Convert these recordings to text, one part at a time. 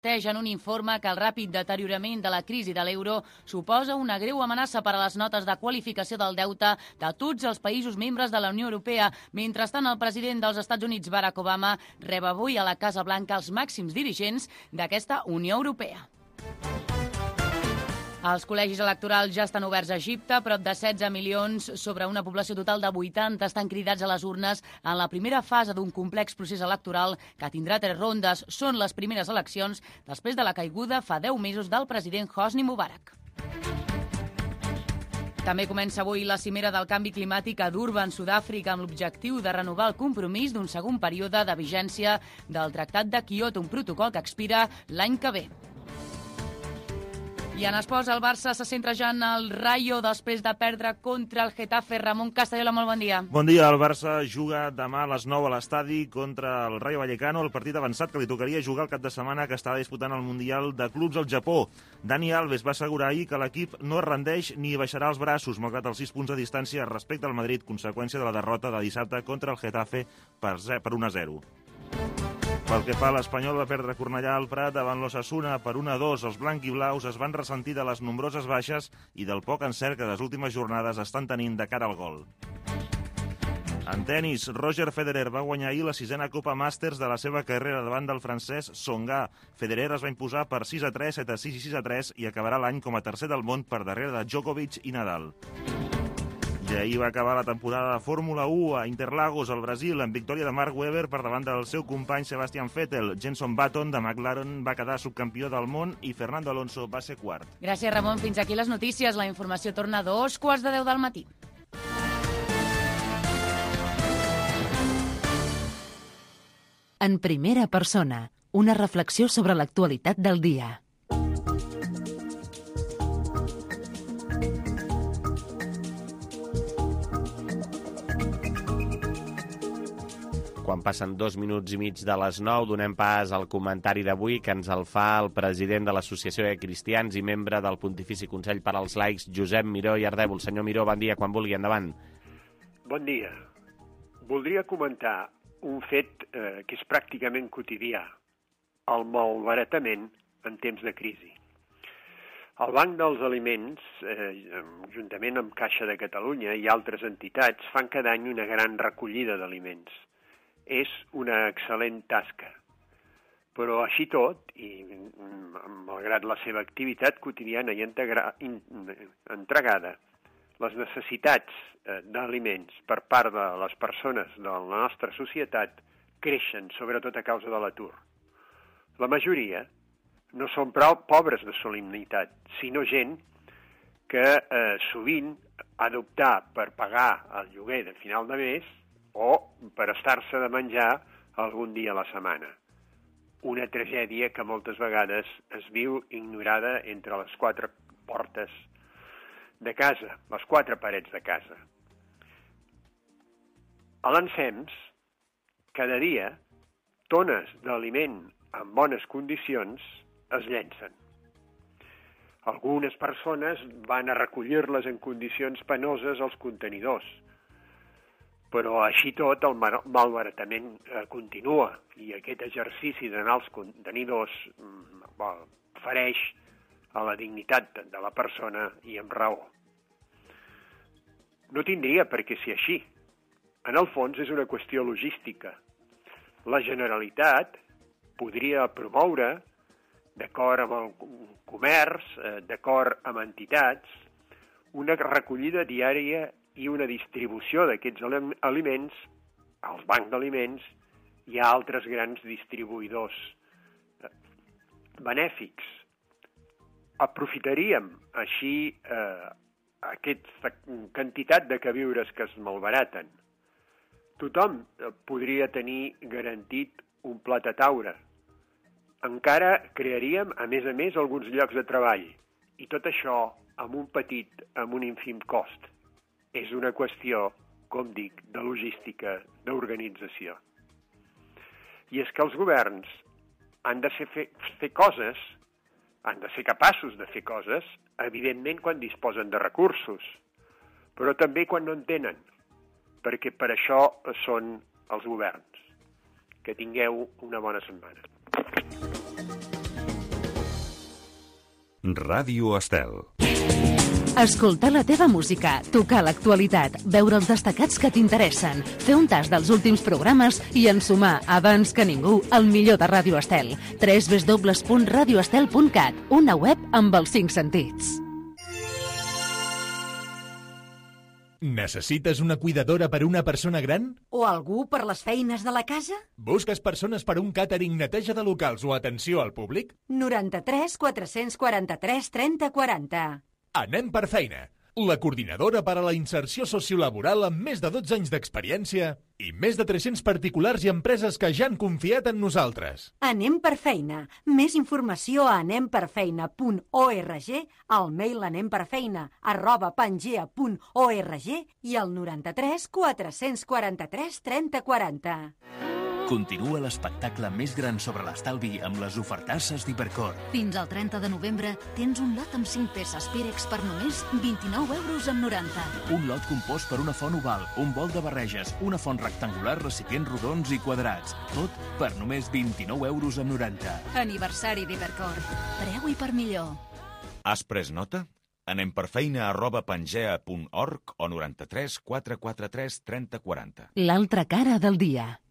En un informe que el ràpid deteriorament de la crisi de l'euro suposa una greu amenaça per a les notes de qualificació del deute de tots els països membres de la Unió Europea. Mentrestant, el president dels Estats Units, Barack Obama, rep avui a la Casa Blanca els màxims dirigents d'aquesta Unió Europea. Els col·legis electorals ja estan oberts a Egipte. Prop de 16 milions sobre una població total de 80 estan cridats a les urnes en la primera fase d'un complex procés electoral que tindrà 3 rondes. Són les primeres eleccions després de la caiguda fa 10 mesos del president Hosni Mubarak. També comença avui la cimera del canvi climàtic a Durban, Sud-àfrica, amb l'objectiu de renovar el compromís d'un segon període de vigència del Tractat de Kyoto, un protocol que expira l'any que ve. I en esports, el Barça se centra ja en el Rayo després de perdre contra el Getafe. Ramon Castayola, molt bon dia. Bon dia. El Barça juga demà a les 9 a l'estadi contra el Rayo Vallecano, el partit avançat que li tocaria jugar el cap de setmana que estava disputant el Mundial de Clubs al Japó. Dani Alves va assegurar ahir que l'equip no es rendeix ni baixarà els braços, malgrat els 6 punts de distància respecte al Madrid, conseqüència de la derrota de dissabte contra el Getafe per 1-0. Pel que fa a l'Espanyol, va perdre Cornellà al Prat davant l'Osasuna per 1-2. Els blanquiblaus es van ressentir de les nombroses baixes i del poc encert que les últimes jornades estan tenint de cara al gol. En tenis, Roger Federer va guanyar ahir la 6a Copa Masters de la seva carrera davant del francès Tsonga. Federer es va imposar per 6-3, 7-6 i 6-3 i acabarà l'any com a tercer del món per darrere de Djokovic i Nadal. I ahir va acabar la temporada de Fórmula 1 a Interlagos, al Brasil, amb victòria de Mark Webber per davant del seu company Sebastian Vettel. Jenson Button, de McLaren, va quedar subcampió del món i Fernando Alonso va ser quart. Gràcies, Ramon. Fins aquí les notícies. La informació torna a 2:15 del matí. En primera persona, una reflexió sobre l'actualitat del dia. Quan passen 2 minuts i mig de les 9, donem pas al comentari d'avui que ens el fa el president de l'Associació de Cristians i membre del Pontifici Consell per als Laics, Josep Miró i Ardèvol. Senyor Miró, bon dia, quan vulgui, endavant. Bon dia. Voldria comentar un fet que és pràcticament quotidià, el malbaratament en temps de crisi. El Banc dels Aliments, juntament amb Caixa de Catalunya i altres entitats, fan cada any una gran recollida d'aliments. És una excel·lent tasca, però així tot, i malgrat la seva activitat quotidiana i entregada, les necessitats d'aliments per part de les persones de la nostra societat creixen, sobretot a causa de l'atur. La majoria no són prou pobres de solemnitat, sinó gent que sovint ha d'optar per pagar el lloguer de final de mes o per estar-se de menjar algun dia a la setmana. Una tragèdia que moltes vegades es viu ignorada entre les 4 portes de casa, les 4 parets de casa. A l'ensems, cada dia, tones d'aliment en bones condicions es llencen. Algunes persones van a recollir-les en condicions penoses als contenidors, però així tot el malbaratament continua i aquest exercici d'anar als contenidors fereix a la dignitat de la persona i amb raó. No tindria per què ser així. En el fons és una qüestió logística. La Generalitat podria promoure, d'acord amb el comerç, d'acord amb entitats, una recollida diària i una distribució d'aquests aliments als bancs d'aliments i a altres grans distribuïdors benèfics. Aprofitaríem així aquesta quantitat de queviures que es malbaraten. Tothom podria tenir garantit un plat a taula. Encara crearíem, a més, alguns llocs de treball. I tot això amb un ínfim cost. És una qüestió, com dic, de logística, d'organització. I és que els governs han de fer coses, han de ser capaços de fer coses, evidentment quan disposen de recursos, però també quan no en tenen, perquè per això són els governs. Que tingueu una bona setmana. Ràdio Estel. Escoltar la teva música, tocar l'actualitat, veure els destacats que t'interessen, fer un tas dels últims programes i ensumar, abans que ningú, el millor de Ràdio Estel. www.radioestel.cat, una web amb els 5 sentits. Necessites una cuidadora per una persona gran? O algú per les feines de la casa? Busques persones per un càtering, neteja de locals o atenció al públic? 93 443 30 40. Anem per feina. La coordinadora per a la inserció sociolaboral amb més de 12 anys d'experiència i més de 300 particulars i empreses que ja han confiat en nosaltres. Anem per feina. Més informació a anemperfeina.org, al mail anemperfeina@pangea.org i al 93 443 30 40. Continua l'espectacle més gran sobre l'estalvi amb les ofertasses d'Hipercor. Fins al 30 de novembre tens un lot amb 5 peces Pirex per només 29,90 €. Un lot compost per una font oval, un bol de barreges, una font rectangular, recipients rodons i quadrats. Tot per només 29,90 €. Aniversari d'Hipercor. Preu i per millor. Has pres nota? Anem per feina@pangea.org o 93 443 30 40. L'altra cara del dia.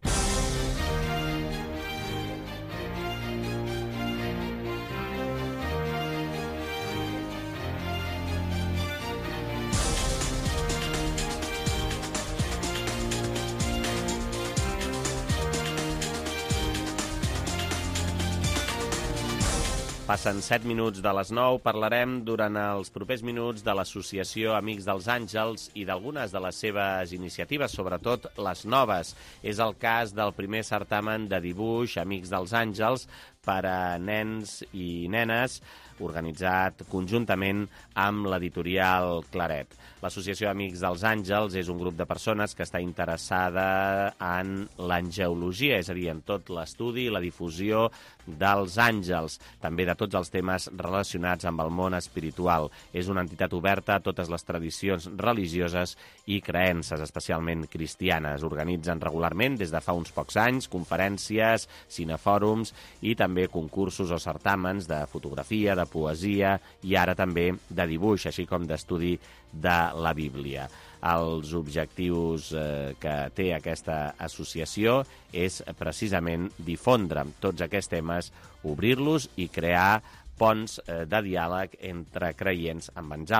Passen 7 minuts de les 9. Parlarem durant els propers minuts de l'Associació Amics dels Àngels i d'algunes de les seves iniciatives, sobretot les noves. És el cas del primer certamen de dibuix Amics dels Àngels per a nens i nenes, organitzat conjuntament amb l'editorial Claret. L'Associació Amics dels Àngels és un grup de persones que està interessada en l'angeologia, és a dir, en tot l'estudi i la difusió dels àngels, també de tots els temes relacionats amb el món espiritual. És una entitat oberta a totes les tradicions religioses i creences, especialment cristianes. Organitzen regularment, des de fa uns pocs anys, conferències, cinefòrums i també concursos o certàmens de fotografia, de poesia i ara també de dibuix, així com d'estudi de la Bíblia. Els objectius que té aquesta associació és precisament difondre tots aquests temes, obrir-los i crear ponts de diàleg entre creients amb els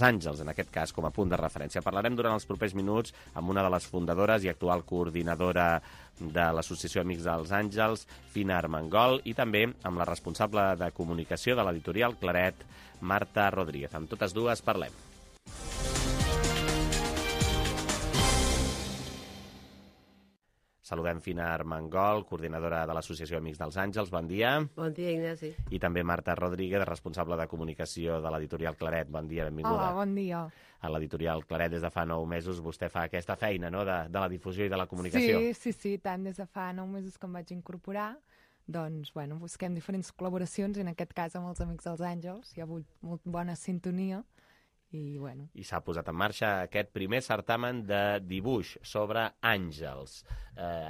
àngels, en aquest cas com a punt de referència. Parlarem durant els propers minuts amb una de les fundadores i actual coordinadora de l'Associació Amics dels Àngels, Fina Armengol, i també amb la responsable de comunicació de l'editorial Claret, Marta Rodríguez. Amb totes dues parlem. Saludem Fina Armengol, coordinadora de l'Associació Amics dels Àngels. Bon dia. Bon dia, Ignasi. I també Marta Rodríguez, responsable de comunicació de l'editorial Claret. Bon dia, benvinguda. Hola, bon dia. A l'editorial Claret, des de fa 9 mesos, vostè fa aquesta feina, no?, de la difusió i de la comunicació. Sí, tant. Des de fa 9 mesos que em vaig incorporar, doncs, bueno, busquem diferents col·laboracions, en aquest cas amb els Amics dels Àngels. Hi ha hagut molt bona sintonia. I s'ha posat en marxa aquest primer certamen de dibuix sobre àngels.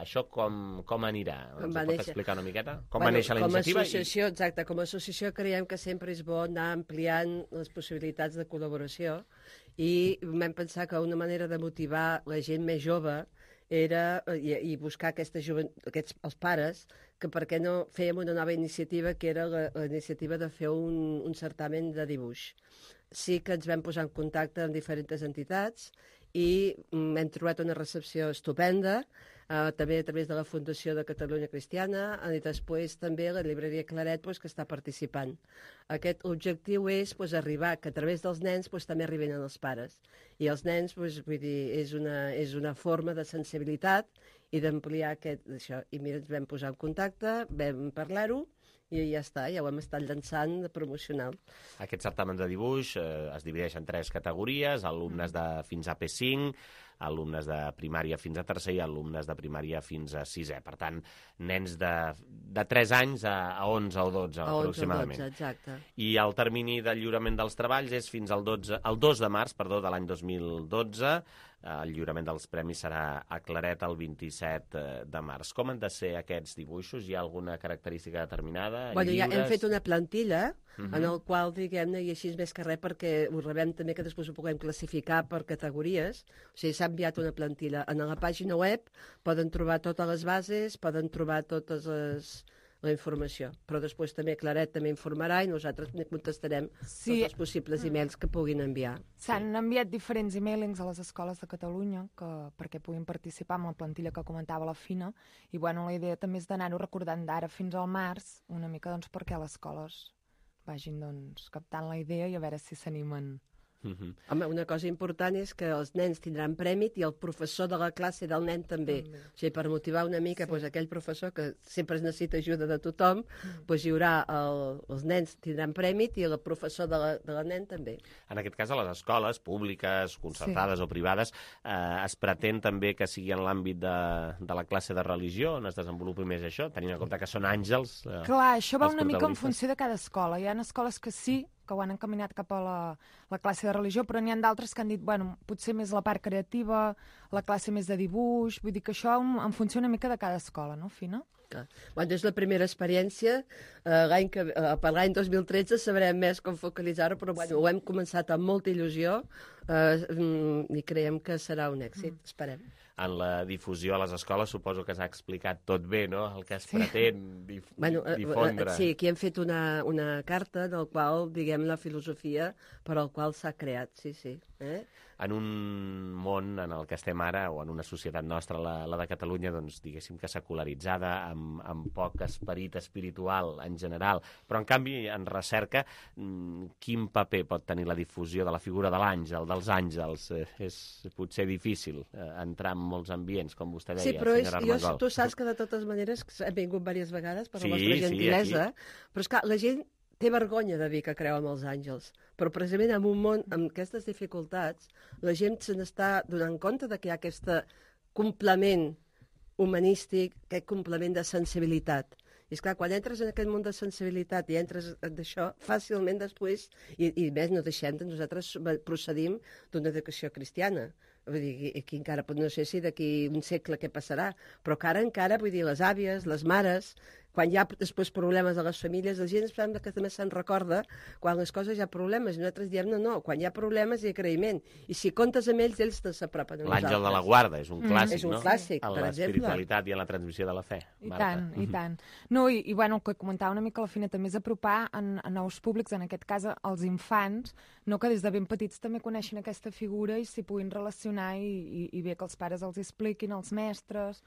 Això com anirà? Ens ho pot explicar una miqueta? Com va néixer la iniciativa? Exacte, com a associació creiem que sempre és bo anar ampliant les possibilitats de col·laboració i vam pensar que una manera de motivar la gent més jove era, i buscar els pares, que per què no fèiem una nova iniciativa, que era la iniciativa de fer un certamen de dibuix. Sí que ens vam posar en contacte amb diferents entitats i hem trobat una recepció estupenda, també a través de la Fundació de Catalunya Cristiana, i després també la llibreria Claret, que està participant. Aquest objectiu és arribar que a través dels nens també arriben als pares. I els nens, vull dir, és una forma de sensibilitat i d'ampliar això. I mira, ens vam posar en contacte, vam parlar-ho, i ja està, ja ho hem estat llançant de promocional. Aquest certamen de dibuix es divideix en 3 categories, alumnes de fins a P5, alumnes de primària fins a tercer i alumnes de primària fins a sisè. Per tant, nens de 3 anys a 11 o 12, aproximadament. 11 o 12, exacte. I el termini de lliurament dels treballs és fins al 2 de març de l'any 2012. El lliurament dels premis serà a Claret el 27 de març. Com han de ser aquests dibuixos? Hi ha alguna característica determinada? Ja hem fet una plantilla en el qual, diguem-ne, i així més que res, perquè ho rebem també que després ho puguem classificar per categories. O sigui, s'ha enviat una plantilla. En la pàgina web poden trobar totes les bases, poden trobar la informació. Però després també Claret també informarà i nosaltres contestarem tots els possibles e-mails que puguin enviar. S'han enviat diferents e-mailings a les escoles de Catalunya perquè puguin participar amb la plantilla que comentava la Fina, i la idea també és d'anar-ho recordant d'ara fins al març, una mica perquè les escoles vagin captant la idea i a veure si s'animen. Home, una cosa important és que els nens tindran prèmit i el professor de la classe del nen també. O sigui, per motivar una mica aquell professor que sempre es necessita ajuda de tothom, hi haurà els nens tindran prèmit i el professor de la nen també. En aquest cas, a les escoles públiques, concertades o privades, es pretén també que sigui en l'àmbit de la classe de religió on es desenvolupi més això, tenint en compte que són àngels. Clar, això va una mica en funció de cada escola. Hi ha escoles que sí, que ho han encaminat cap a la classe de religió, però n'hi ha d'altres que han dit, potser més la part creativa, la classe més de dibuix, vull dir que això en funció una mica de cada escola, no, Fina? És la primera experiència, per l'any 2013 sabrem més com focalitzar-ho, però ho hem començat amb molta il·lusió i creiem que serà un èxit, esperem. En la difusió a les escoles suposo que s'ha explicat tot bé, no?, el que es pretén difondre. Sí, aquí hem fet una carta del qual, diguem, la filosofia per al qual s'ha creat, sí. En un món en el que estem ara, o en una societat nostra, la de Catalunya, doncs diguéssim que secularitzada, amb poc esperit espiritual en general, però en canvi en recerca, quin paper pot tenir la difusió de la figura de l'àngel, dels àngels? És potser difícil entrar en molts ambients, com vostè deia, senyora Armengol. Tu saps que de totes maneres hem vingut diverses vegades per la vostra gentilesa, però és clar, la gent té vergonya de dir que creu en els àngels, però precisament en un món amb aquestes dificultats la gent se n'està donant compte que hi ha aquest complement humanístic, aquest complement de sensibilitat. I esclar, quan entres en aquest món de sensibilitat i entres d'això, fàcilment després, i més no deixem de nosaltres procedim d'una educació cristiana. Vull dir, aquí encara, no sé si d'aquí un segle què passarà, però encara, vull dir, les àvies, les mares, quan hi ha després problemes a les famílies, la gent sembla que també se'n recorda quan les coses hi ha problemes, i nosaltres diem no, quan hi ha problemes hi ha agraïment, i si comptes amb ells s'apropen a nosaltres. L'àngel de la guarda és un clàssic, és un clàssic, en l'espiritualitat i en la transmissió de la fe. I tant. No, i el que comentava una mica la Fina també és apropar en nous públics, en aquest cas als infants, no, que des de ben petits també coneixin aquesta figura i s'hi puguin relacionar i bé que els pares els expliquin, els mestres.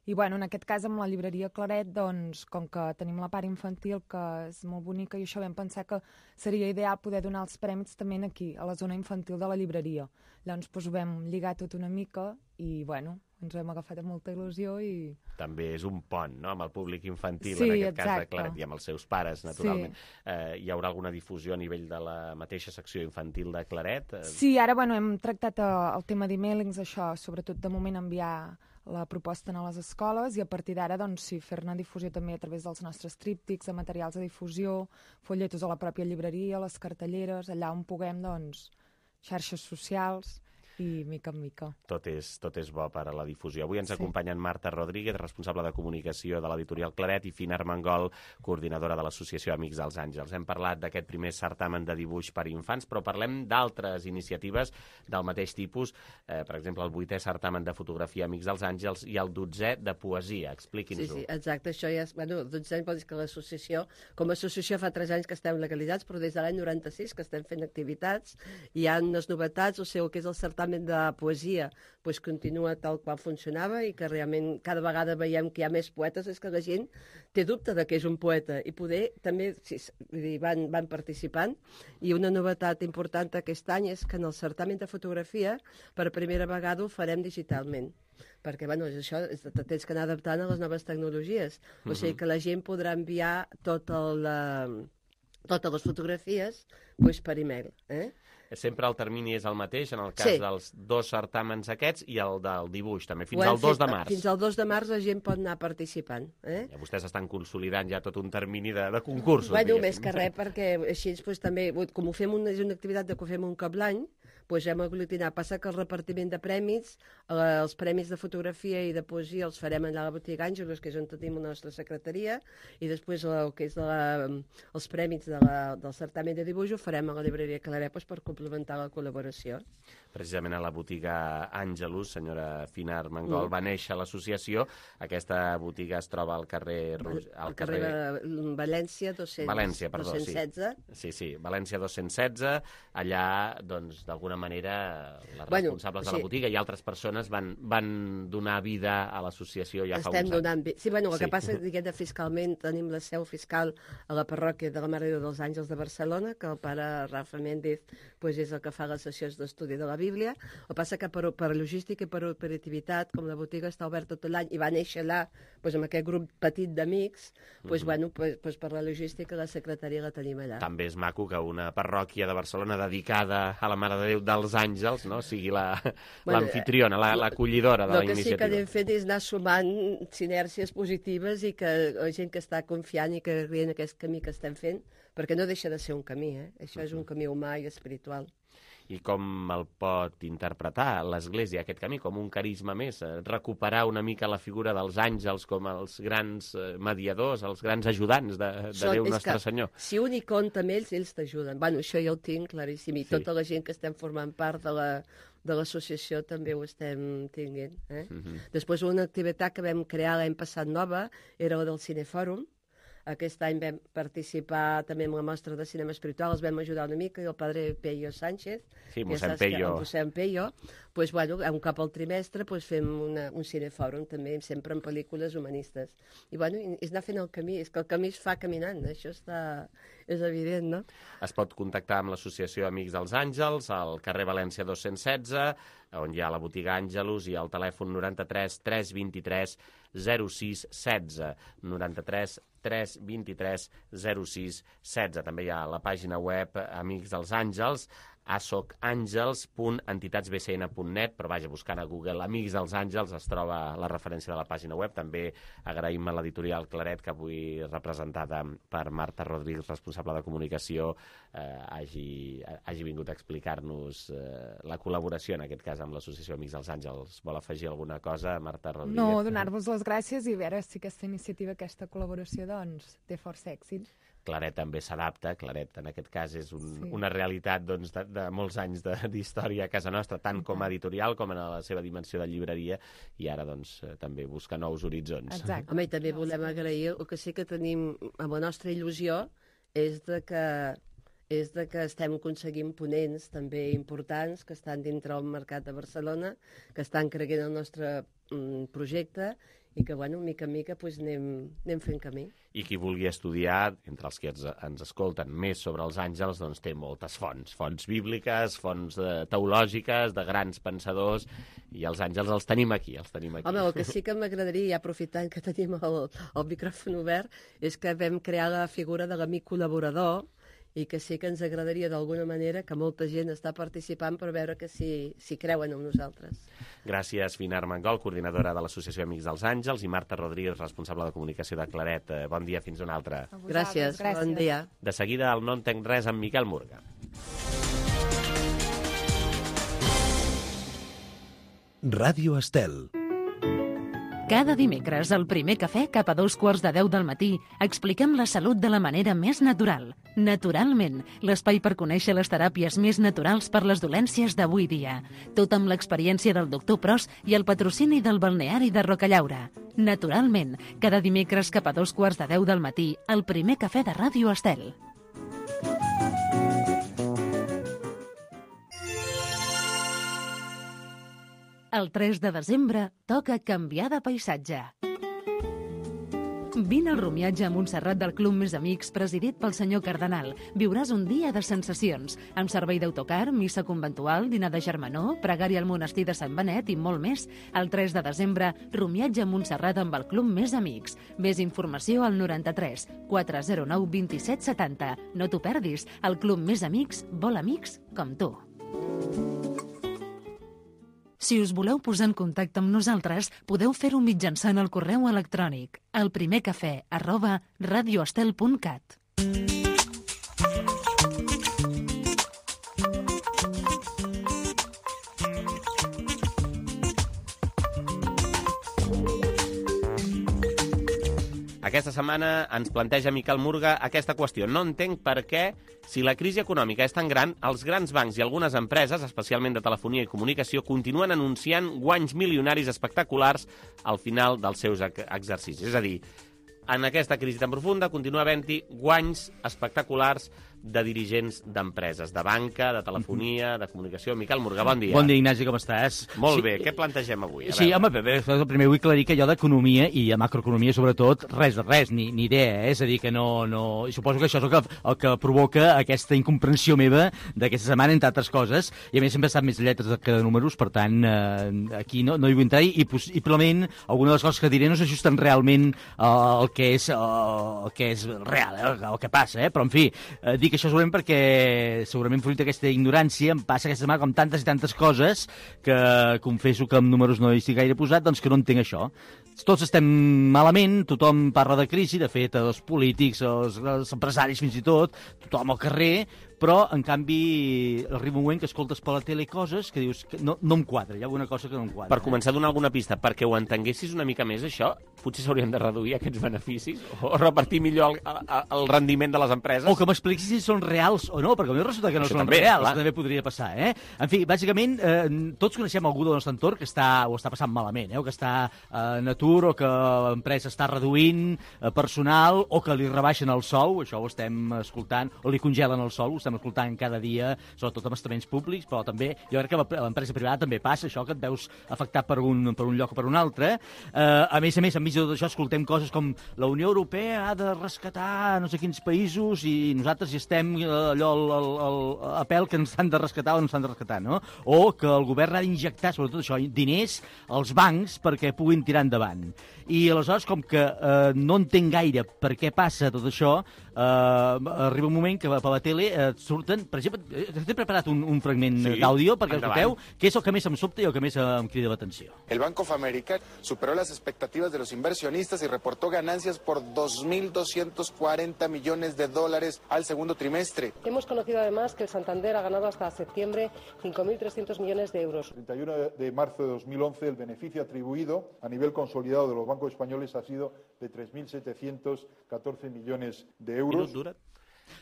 I en aquest cas amb la llibreria Claret, doncs, com que tenim la part infantil que és molt bonica, i això vam pensar que seria ideal poder donar els prèmits també aquí, a la zona infantil de la llibreria. Llavors ho vam lligar tot una mica i ens ho hem agafat amb molta il·lusió i... També és un pont, no?, amb el públic infantil, sí, en aquest exacte. Cas de Claret, i amb els seus pares, naturalment. Sí. Hi haurà alguna difusió a nivell de la mateixa secció infantil de Claret? Sí, ara hem tractat el tema d'e-mailings, això, sobretot de moment enviar la proposta a les escoles i a partir d'ara, doncs, sí, fer-ne difusió també a través dels nostres tríptics, de materials de difusió, folletos a la pròpia llibreria, les cartelleres, allà on puguem, doncs, xarxes socials i mica en mica. Tot és bo per a la difusió. Avui ens acompanyen Marta Rodríguez, responsable de comunicació de l'editorial Claret, i Fina Armengol, coordinadora de l'Associació Amics dels Àngels. Hem parlat d'aquest primer certamen de dibuix per infants, però parlem d'altres iniciatives del mateix tipus, per exemple, el 8è certamen de fotografia Amics dels Àngels i el 12è de poesia. Expliqui'ns-ho. Sí, exacte. Això ja és... el 12è vol dir que l'associació, com a associació fa 3 anys que estem legalitzats, però des de l'any 96 que estem fent activitats, hi ha unes novetats, o sigui, el que és el certamen de poesia doncs continua tal qual funcionava i que realment cada vegada veiem que hi ha més poetes, és que la gent té dubte de què és un poeta i poder també van participant. I una novetat important aquest any és que en el certamen de fotografia per primera vegada ho farem digitalment, perquè això tens que anar adaptant a les noves tecnologies, o sigui que la gent podrà enviar totes les fotografies per e-mail. Sempre el termini és el mateix, en el cas dels 2 certàmens aquests i el del dibuix, també, fins al 2 de març. Fins al 2 de març la gent pot anar participant. Ja vostès estan consolidant ja tot un termini de concursos. Més que res, perquè així també, com ho fem és una activitat que ho fem un cop l'any, doncs hem aglutinat. Passa que el repartiment de premis, els premis de fotografia i de poesia els farem allà a la botiga Àngelus, que és on tenim la nostra secretaria, i després el que és els premis del certamen de dibuix ho farem a la llibreria Claret per complementar la col·laboració. Precisament a la botiga Àngelus, senyora Fina Armengol, va néixer l'associació. Aquesta botiga es troba al carrer... Al carrer València 216. València, perdó, sí, València 216. Allà, doncs, d'alguna manera, les responsables de la botiga i altres persones van donar vida a l'associació ja fa uns anys. Sí, el que passa és que fiscalment tenim la seu fiscal a la parròquia de la Mare de Déu dels Àngels de Barcelona, que el pare Rafa Méndez és el que fa les sessions d'estudi de la Bíblia. El que passa que per logística i per operativitat, com la botiga està oberta tot l'any i va néixer allà amb aquest grup petit d'amics, per la logística la secretaria la tenim allà. També és maco que una parròquia de Barcelona dedicada a la Mare de Déu dels Àngels sigui l'anfitriona, l'acollidora de la iniciativa. El que sí que anem fent és anar sumant sinèrcies positives i que la gent que està confiant i que creient aquest camí que estem fent, perquè no deixa de ser un camí, això és un camí humà i espiritual. I com el pot interpretar l'Església, aquest camí, com un carisma més? Recuperar una mica la figura dels àngels com els grans mediadors, els grans ajudants de Déu Nostre Senyor. Si un hi compta amb ells t'ajuden. Això ja ho tinc claríssim, i tota la gent que estem formant part de l'associació també ho estem tinguent. Després una activitat que vam crear l'any passat nova era la del Cinefòrum. Aquest any vam participar també en la mostra de cinema espiritual, els vam ajudar una mica, i el padre Peyo Sánchez, mossèn Peyo, un cop al trimestre fem un cinefòrum també, sempre en pel·lícules humanistes. I és anar fent el camí, és que el camí es fa caminant, això és evident, no? Es pot contactar amb l'associació Amics dels Àngels, al carrer València 216, on hi ha la botiga Àngelus, i el telèfon 93 323 06 16, 93 323 06 16. També hi ha la pàgina web Amics dels Àngels, asocangels.entitatsbcn.net, però buscant a Google Amics dels Àngels es troba la referència de la pàgina web. També agraïm a l'editorial Claret, que avui representada per Marta Rodríguez, responsable de comunicació, hagi vingut a explicar-nos la col·laboració, en aquest cas amb l'associació Amics dels Àngels. Vol afegir alguna cosa, Marta Rodríguez? No, donar-vos les gràcies i veure si aquesta iniciativa, aquesta col·laboració, té força èxit. Claret també s'adapta. Claret, en aquest cas, és una realitat de molts anys d'història a casa nostra, tant com a editorial com en la seva dimensió de llibreria, i ara també busca nous horitzons. Exacte. Home, i també volem agrair, el que sí que tenim amb la nostra il·lusió és que estem aconseguint ponents també importants que estan dintre del mercat de Barcelona, que estan creient el nostre projecte, i que, mica en mica, anem fent camí. I qui vulgui estudiar, entre els que ens escolten més sobre els àngels, té moltes fonts bíbliques, fonts teològiques, de grans pensadors, i els àngels els tenim aquí. Home, el que sí que m'agradaria, ja aprofitant que tenim el micròfon obert, és que vam crear la figura de l'amic col·laborador, i que sí que ens agradaria d'alguna manera que molta gent està participant per veure que si creuen en nosaltres. Gràcies, Fina Armengol, coordinadora de l'Associació Amics dels Àngels, i Marta Rodríguez, responsable de comunicació de Claret. Bon dia, fins una altra. Gràcies, bon dia. De seguida, el No entenc res amb Miquel Murga. Ràdio Estel. Cada dimecres, al primer cafè, cap a 9:45 del matí, expliquem la salut de la manera més natural. Naturalment, l'espai per conèixer les teràpies més naturals per les dolències d'avui dia. Tot amb l'experiència del doctor Pros i el patrocini del balneari de Rocallaura. Naturalment, cada dimecres cap a 9:45 del matí, al primer cafè de Ràdio Estel. El 3 de desembre toca canviar de paisatge. Vine al rumiatge a Montserrat del Club Més Amics, presidit pel senyor Cardenal. Viuràs un dia de sensacions, amb servei d'autocar, missa conventual, dinar de germanor, pregària al monestir de Sant Benet i molt més. El 3 de desembre, rumiatge a Montserrat amb el Club Més Amics. Més informació al 93 409 27 70. No t'ho perdis, el Club Més Amics vol amics com tu. Si us voleu posar en contacte amb nosaltres, podeu fer-ho mitjançant el correu electrònic elprimercafè@radioestel.cat. Aquesta setmana ens planteja Miquel Murga aquesta qüestió. No entenc per què, si la crisi econòmica és tan gran, els grans bancs i algunes empreses, especialment de telefonia i comunicació, continuen anunciant guanys milionaris espectaculars al final dels seus exercicis. És a dir, en aquesta crisi tan profunda continua havent-hi guanys espectaculars de dirigents d'empreses, de banca, de telefonia, de comunicació. Miquel Murga, bon dia. Bon dia, Ignasi, com estàs? Molt bé, què plantegem avui? Sí, home, primer vull aclarir que jo d'economia i de macroeconomia, sobretot, res, ni idea, És a dir, que no... I suposo que això és el que provoca aquesta incomprensió meva d'aquesta setmana, entre altres coses, i a més sempre he estat més lletres que de números, per tant, aquí no hi vull entrar, i possiblement alguna de les coses que diré no s'ajusten realment al que és real, el que passa, però en fi, dic això segurament perquè segurament fruit d'aquesta ignorància em passa aquesta setmana com tantes i tantes coses que confesso que amb números no hi estic gaire posat, doncs que no entenc això. Tots estem malament, tothom parla de crisi, de fet, els polítics, els empresaris fins i tot, tothom al carrer, però, en canvi, arriba un moment que escoltes per la tele coses que dius que no em quadra, hi ha alguna cosa que no em quadra. Per començar a donar alguna pista, perquè ho entenguessis una mica més, això, potser s'haurien de reduir aquests beneficis o repartir millor el rendiment de les empreses. O que m'expliquis si són reals o no, perquè a mi resulta que no són reals, també podria passar, En fi, bàsicament, tots coneixem algú del nostre entorn que ho està passant malament, o que està en atur, o que l'empresa està reduint personal, o que li rebaixen el sou, això ho estem escoltant, o li congelen el sou, ho estem escoltant cada dia, sobretot amb estaments públics, però també, jo crec que a l'empresa privada també passa això, que et veus afectat per un lloc o per un altre. A més, enmig de tot això, escoltem coses com la Unió Europea ha de rescatar no sé quins països i nosaltres hi estem allò a pèl que ens han de rescatar o no ens han de rescatar, no? O que el govern ha d'injectar, sobretot això, diners als bancs perquè puguin tirar endavant. I aleshores, com que no entenc gaire per què passa tot això, arriba un moment que per la tele surten, per exemple, he preparat un fragment d'àudio perquè escolteu, que és el que més em sobta i el que més em crida l'atenció. El Banco of America superó las expectativas de los inversionistas y reportó ganancias por $2.240 millones al segundo trimestre. Hemos conocido además que el Santander ha ganado hasta septiembre 5.300 millones de euros. El 31 de marzo de 2011 el beneficio atribuido a nivel consolidado de los bancos españoles ha sido de 3.714 millones de euros.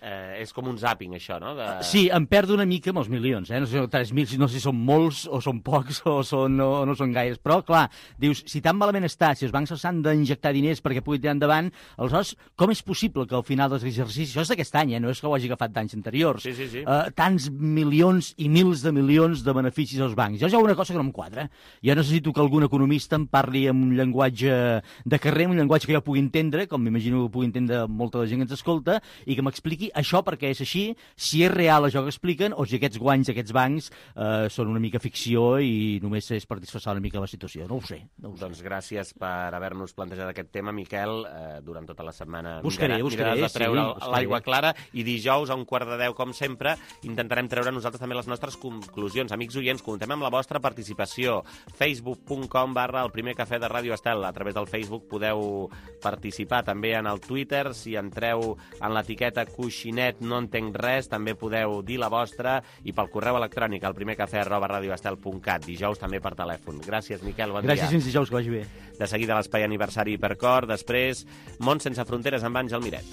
És com un zàping, això, no? Sí, em perdo una mica amb els milions, no sé, 3.000, no sé si són molts o són pocs o no són gaires, però, clar, dius, si tan malament està, si els bancs s'han d'injectar diners perquè pugui tirar endavant, aleshores, com és possible que al final dels exercicis, això és d'aquest any, no és que ho hagi agafat d'anys anteriors, tants milions i mils de milions de beneficis als bancs? Jo hi ha una cosa que no em quadra. Jo necessito que algun economista em parli amb un llenguatge de carrer, un llenguatge que jo pugui entendre, com m'imagino que pugui entendre molta de gent que ens escolta, i que m'expliqui això perquè és així, si és real això que expliquen, o si aquests guanys d'aquests bancs són una mica ficció i només és per disfressar una mica la situació. No ho sé. Doncs gràcies per haver-nos plantejat aquest tema, Miquel. Durant tota la setmana miraràs de treure l'aigua clara i dijous a 1:45, com sempre, intentarem treure nosaltres també les nostres conclusions. Amics oients, comptem amb la vostra participació. facebook.com/el primer cafè de Ràdio Estel. A través del Facebook podeu participar també en el Twitter. Si entreu en l'etiqueta Coixinet no entenc res, també podeu dir la vostra, i pel correu electrònic al primercafè@radioestel.cat. Dijous també per telèfon. Gràcies, Miquel, bon dia. Gràcies, fins dijous, que vagi bé. De seguida l'espai aniversari Hipercor, després Món sense fronteres amb Àngel Miret.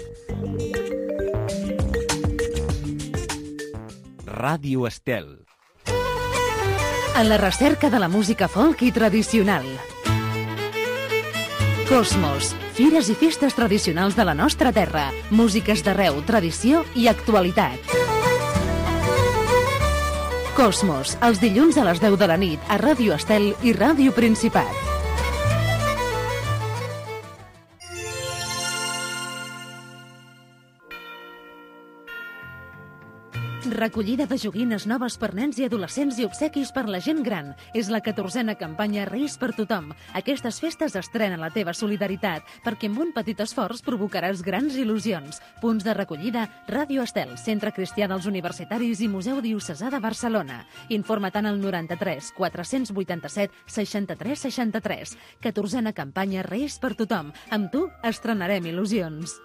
Ràdio Estel. En la recerca de la música folk i tradicional. Cosmos, fires i festes tradicionals de la nostra terra, músiques d'arreu, tradició i actualitat. Cosmos, els dilluns a les 10 de la nit a Ràdio Estel i Ràdio Principat. Recollida de joguines noves per nens i adolescents i obsequis per la gent gran. És la 14a campanya Reis per tothom. Aquestes festes estrenen la teva solidaritat, perquè amb un petit esforç provocaràs grans il·lusions. Punts de recollida: Ràdio Estel, Centre Cristià dels Universitaris i Museu Diocesà de Barcelona. Informa-te'n al 93 487 63 63. 14a campanya Reis per tothom. Amb tu estrenarem il·lusions.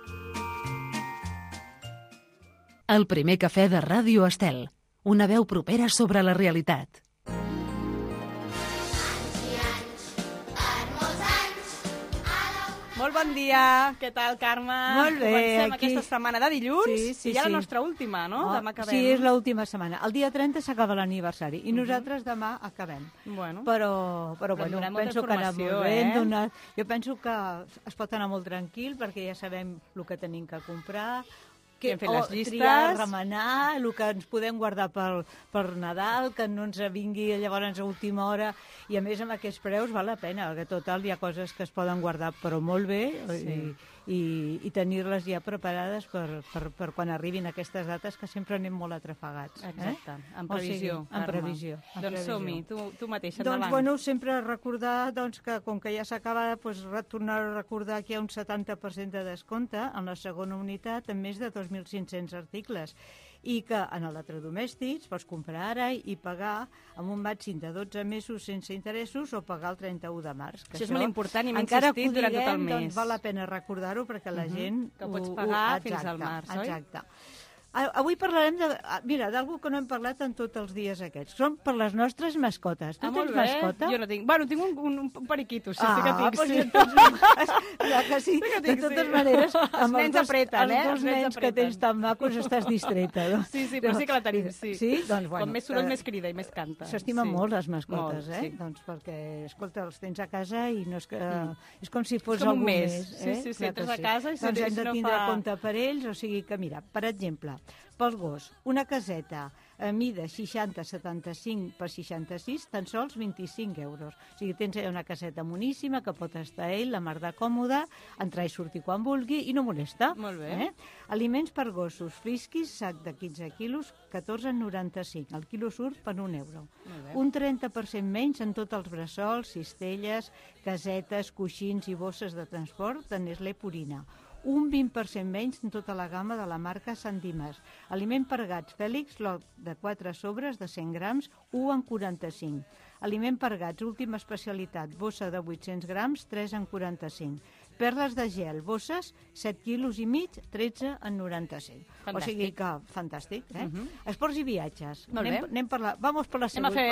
El primer cafè de Ràdio Estel. Una veu propera sobre la realitat. Molt bon dia. Què tal, Carme? Molt bé. Comencem aquesta setmana de dilluns sí, i ja la nostra última, no? Demà acabem. Sí, és l'última setmana. El dia 30 s'acaba l'aniversari i nosaltres demà acabem. Bueno. Però bueno, penso que ha anat molt bé. Jo penso que es pot anar molt tranquil perquè ja sabem el que tenim que comprar, hem fet les llistes, triar, remenar, el que ens podem guardar per Nadal, que no ens vingui llavors a última hora, i a més amb aquests preus val la pena, perquè total hi ha coses que es poden guardar però molt bé i tenir-les ja preparades per quan arribin aquestes dates que sempre anem molt atrafegats. Exacte, en previsió. En previsió. Doncs som-hi, tu mateixa, endavant. endavant. Bueno, sempre recordar que com que ja s'acaba, tornar a recordar que hi ha un 70% de descompte en la segona unitat en més de 2.500 articles i que en electrodomèstics pots comprar ara i pagar amb un màxim de 12 mesos sense interessos o pagar el 31 de març. Això és molt important i m'he insistit durant tot el mes. Doncs val la pena recordar-ho perquè la gent... Que ho pots pagar fins al març, oi? Exacte. Avui parlarem d'algú que no hem parlat en tots els dies aquests. Són per les nostres mascotes. Tu tens mascota? Jo no tinc. Bueno, tinc un periquito, sí que tinc. Doncs ja que sí. De totes maneres, amb els dos nens que tens tan macos estàs distreta. Sí, però sí que la tenim, sí. Sí? Doncs, bueno. Com més soroll, més crida i més canta. S'estimen molt les mascotes, Doncs perquè, escolta, els tens a casa i no és que... És com si fos algú més. Sí, entres a casa i doncs hem de tindre compte per ells, o sigui que, mira, per exemple, pel gos, una caseta a mida 60-75 per 66, tan sols 25 euros. O sigui, tens una caseta moníssima que pot estar ell, la mar de còmoda, entrar i sortir quan vulgui i no molesta. Molt bé. Aliments per gossos, frisquis, sac de 15 quilos, 14,95. El quilo surt per 1 euro. Un 30% menys en tots els bressols, cistelles, casetes, coixins i bosses de transport de Nestlé Purina. Un 20% menys en tota la gamma de la marca Sant Dimas. Aliment per gats Fèlix, lot de 4 sobres de 100 grams, 1,45. Aliment per gats, última especialitat, bossa de 800 grams, 3,45. Perles de gel, bosses, 7 quilos i mig, 13,95. Fantàstic. O sigui que, fantàstic, Esports i viatges. Molt bé. Vamos per la segunda.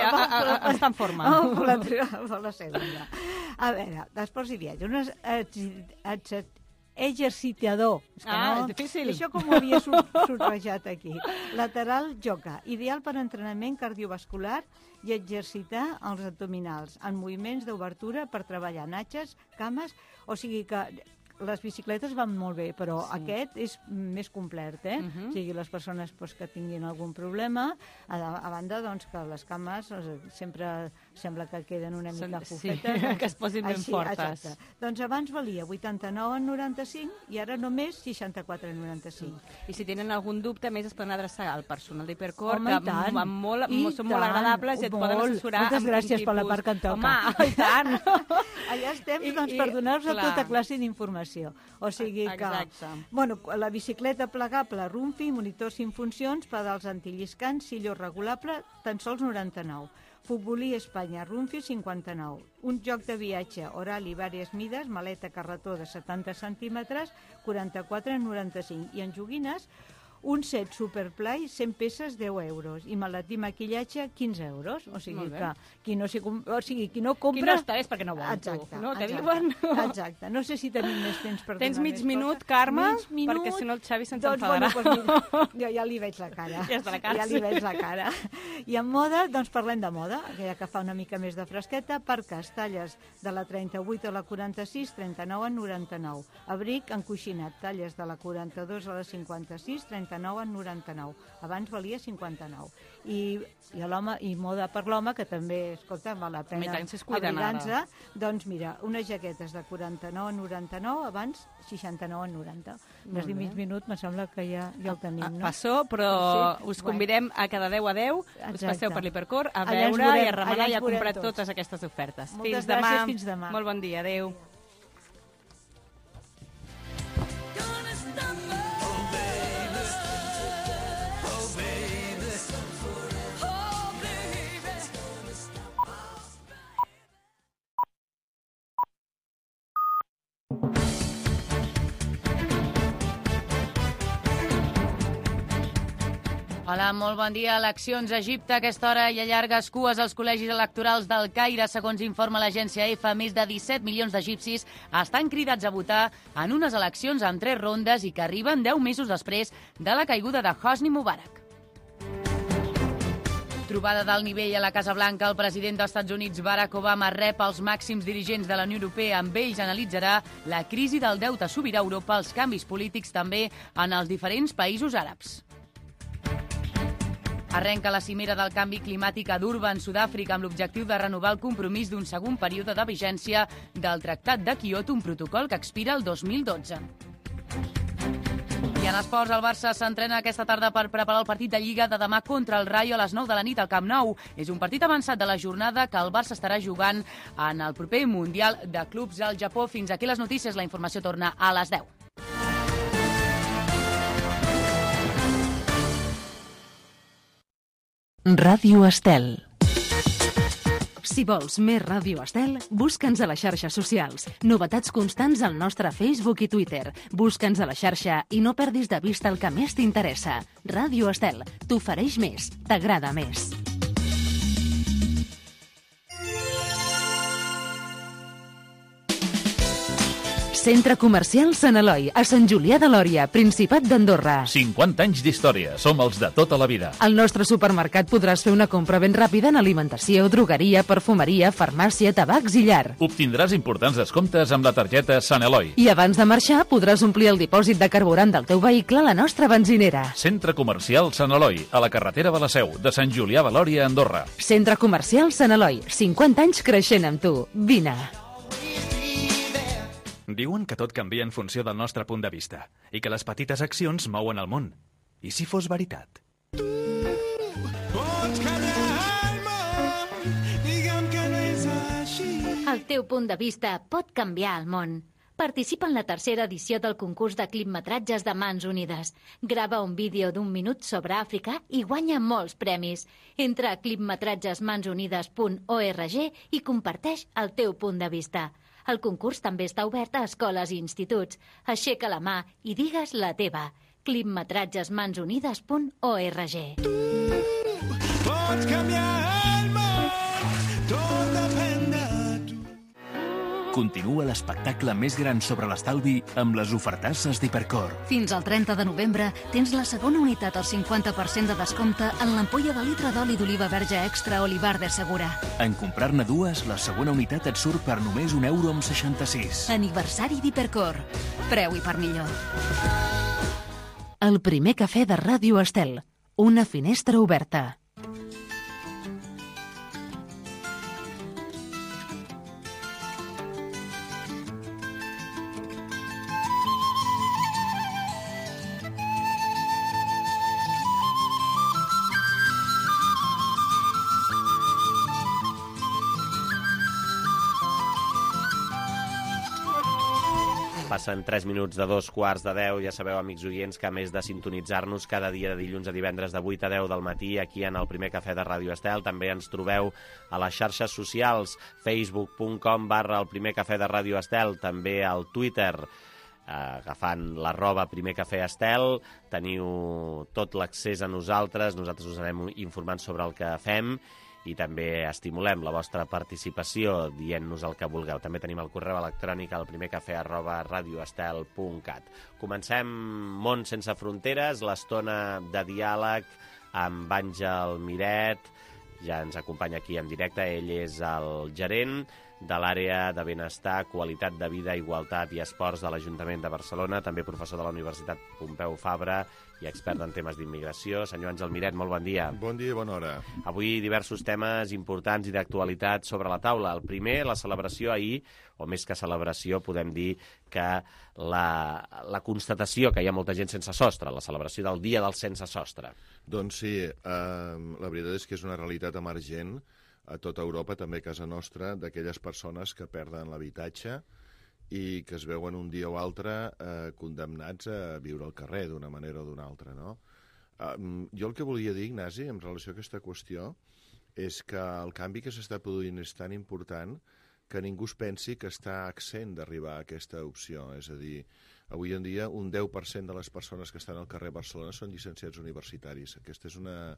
Estar en forma. Vamos per la segunda. A veure, esports i viatges. Exercitador. És difícil. Això com ho havia subrejat aquí. Lateral joca. Ideal per entrenament cardiovascular i exercitar els abdominals en moviments d'obertura per treballar natges, cames, o sigui que les bicicletes van molt bé, però aquest és més complet, O sigui, les persones que tinguin algun problema, a banda que les cames sempre sembla que queden una mica fofetes. Que es posin ben fortes. Exacte. Doncs abans valia 89,95 i ara només 64,95. I si tenen algun dubte, més es poden adreçar al personal d'Hipercor, que són molt agradables i et poden assessorar. Moltes gràcies per la part que em toca. Home, i tant! Allà estem per donar-vos tota classe d'informació. O sigui que... Bueno, la bicicleta plegable Rumfi, monitor 5 funcions, pedals antilliscants, silló regulable, tan sols 99. Futbolí Espanya, Rumfi, 59. Un joc de viatge, oral i vàries mides, maleta carretó de 70 centímetres, 44,95. I en joguines, un set Superplay, 100 peces, 10 euros. I maletí maquillatge, 15 euros. O sigui que qui no compra... Qui no està és perquè no vol. Exacte. No, te diuen? Exacte. No sé si tenim més temps per donar Tens mig minut, Carme? Perquè si no el Xavi se'ns enfadarà. Jo ja li veig la cara. Ja està la cara. Ja li veig la cara. I en moda, doncs parlem de moda, ja que fa una mica més de fresqueta. Parques, talles de la 38 a la 46, 39,99. Abric encoixinat, talles de la 42 a la 56, 39,99. Abans valia 59. I l'home, i moda per l'home, que també, escolta, val la pena abrigar-se. Doncs mira, unes jaquetes de 49,99, abans 69,90. Més de mig minut, me sembla que ja el tenim, no? Passó, però us convidem a cada 10 a 10, us passeu per l'Hipercor a veure i a remenar i a comprar totes aquestes ofertes. Moltes gràcies, fins demà. Molt bon dia, adeu. Hola, molt bon dia. Eleccions a Egipte. A aquesta hora hi ha llargues cues als col·legis electorals del Caire. Segons informa l'agència EFA, més de 17 milions d'egipcis estan cridats a votar en unes eleccions en 3 rondes i que arriben 10 mesos després de la caiguda de Hosni Mubarak. Trobada d'alt nivell a la Casa Blanca. El president dels Estats Units, Barack Obama, rep els màxims dirigents de la Unió Europea. Amb ells analitzarà la crisi del deute sobirà a Europa, els canvis polítics també en els diferents països àrabs. Arrenca la cimera del canvi climàtic a Durban, Sud-àfrica, amb l'objectiu de renovar el compromís d'un segon període de vigència del Tractat de Kyoto, un protocol que expira el 2012. I en esports, el Barça s'entrena aquesta tarda per preparar el partit de Lliga de demà contra el Rayo a les 9 de la nit al Camp Nou. És un partit avançat de la jornada que el Barça estarà jugant en el proper Mundial de Clubs al Japó. Fins aquí les notícies. La informació torna a les 10. Ràdio Estel. Si vols més Ràdio Estel, busca'ns a les xarxes socials. Novetats constants al nostre Facebook i Twitter. Busca'ns a la xarxa i no perdis de vista el que més t'interessa. Ràdio Estel, t'ofereix més, t'agrada més. Centre Comercial Sant Eloi, a Sant Julià de Lòria, Principat d'Andorra. 50 anys d'història, som els de tota la vida. Al nostre supermercat podràs fer una compra ben ràpida en alimentació, drogueria, perfumeria, farmàcia, tabacs i llar. Obtindràs importants descomptes amb la targeta Sant Eloi. I abans de marxar podràs omplir el dipòsit de carburant del teu vehicle a la nostra benzinera. Centre Comercial Sant Eloi, a la carretera de la Seu, de Sant Julià de Lòria, Andorra. Centre Comercial Sant Eloi, 50 anys creixent amb tu. Vine. Diuen que tot canvia en funció del nostre punt de vista i que les petites accions mouen el món. I si fos veritat? El teu punt de vista pot canviar el món. Participa en la tercera edició del concurs de clipmetratges de Mans Unides. Grava un vídeo d'1 minut sobre Àfrica i guanya molts premis. Entra a clipmetratgesmansunides.org i comparteix el teu punt de vista. El concurs també està obert a escoles i instituts. Aixeca la mà i digues la teva. clipmetratgesmansunides.org. Pots canviar el món, tot depèn de tu. Continua l'espectacle més gran sobre l'estalvi amb les ofertasses d'Hipercor. Fins al 30 de novembre tens la segona unitat al 50% de descompte en l'ampolla de litre d'oli d'oliva verge extra Olivar de Segura. En comprar-ne dues, la segona unitat et surt per només €1,66. Aniversari d'Hipercor. Preu i per millor. El primer cafè de Ràdio Estel. Una finestra oberta. Passen 3 minuts de 2:15. Ja sabeu, amics oients, que a més de sintonitzar-nos cada dia de dilluns a divendres de 8 a 10 del matí aquí en el primer cafè de Ràdio Estel, també ens trobeu a les xarxes socials, facebook.com/el primer cafè de Ràdio Estel, també al Twitter, agafant @primer cafè Estel. Teniu tot l'accés a nosaltres us anem informant sobre el que fem i també estimulem la vostra participació dient-nos el que vulgueu. També tenim el correu electrònic al primercafè@radioestel.cat. Comencem Món sense fronteres, l'estona de diàleg amb Àngel Miret. Ja ens acompanya aquí en directe. Ell és el gerent de l'àrea de benestar, qualitat de vida, igualtat i esports de l'Ajuntament de Barcelona, també professor de la Universitat Pompeu Fabra i expert en temes d'immigració. Senyor Àngel Miret, molt bon dia. Bon dia i bona hora. Avui diversos temes importants i d'actualitat sobre la taula. El primer, la celebració ahir, o més que celebració, podem dir que la constatació que hi ha molta gent sense sostre, la celebració del Dia del Sense Sostre. Doncs sí, la veritat és que és una realitat emergent a tota Europa, també a casa nostra, d'aquelles persones que perden l'habitatge i que es veuen un dia o altre condemnats a viure al carrer d'una manera o d'una altra, no? Jo el que volia dir, Ignasi, en relació a aquesta qüestió, és que el canvi que s'està produint és tan important que ningú es pensi que està accent d'arribar a aquesta opció. És a dir, Avui en dia, un 10% de les persones que estan al carrer Barcelona són llicenciats universitaris. Aquesta és una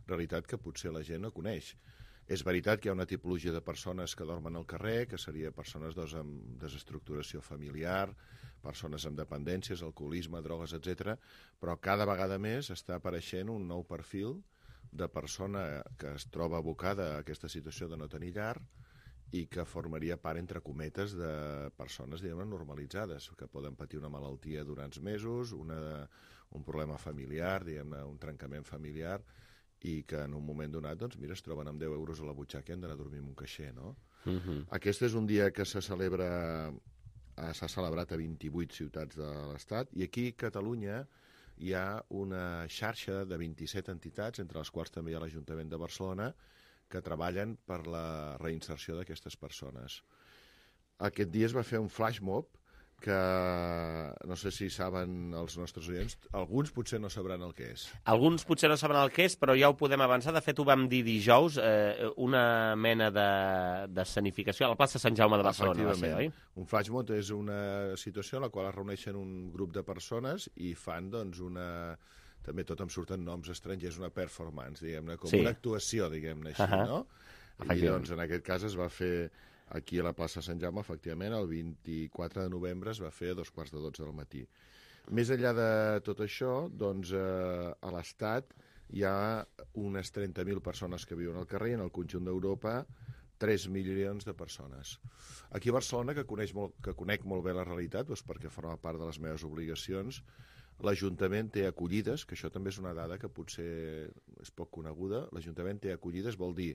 realitat que potser la gent no coneix. És veritat que hi ha una tipologia de persones que dormen al carrer, que seria persones amb desestructuració familiar, persones amb dependències, alcoholisme, drogues, etc. Però cada vegada més està apareixent un nou perfil de persona que es troba abocada a aquesta situació de no tenir llar i que formaria part, entre cometes, de persones, diguem-ne, normalitzades, que poden patir una malaltia durant mesos, un problema familiar, diguem-ne, un trencament familiar, i que en un moment donat, doncs, mira, es troben amb 10 euros a la butxaca i han d'anar a dormir en un caixer, no? Aquest és un dia que s'ha celebrat a 28 ciutats de l'Estat, i aquí a Catalunya hi ha una xarxa de 27 entitats, entre les quals també hi ha l'Ajuntament de Barcelona, que treballen per la reinserció d'aquestes persones. Aquest dia es va fer un flash mob, que no sé si saben els nostres oients, alguns potser no sabran el que és. Alguns potser no sabran el que és, però ja ho podem avançar. De fet, ho vam dir dijous, una mena d'escenificació a la plaça Sant Jaume de Barcelona. Va ser, oi? Un flash mob és una situació en la qual es reuneixen un grup de persones i fan, doncs, també tot em surten noms estrangers, una performance, diguem-ne, com una actuació, diguem-ne així, no? I, doncs, en aquest cas es va fer aquí a la plaça Sant Jaume, efectivament, el 24 de novembre es va fer a 11:45 del matí. Més enllà de tot això, doncs, a l'Estat hi ha unes 30.000 persones que viuen al carrer i en el conjunt d'Europa 3 milions de persones. Aquí a Barcelona, que conec molt bé la realitat, doncs perquè forma part de les meves obligacions, l'Ajuntament té acollides, que això també és una dada que potser és poc coneguda, l'Ajuntament té acollides, vol dir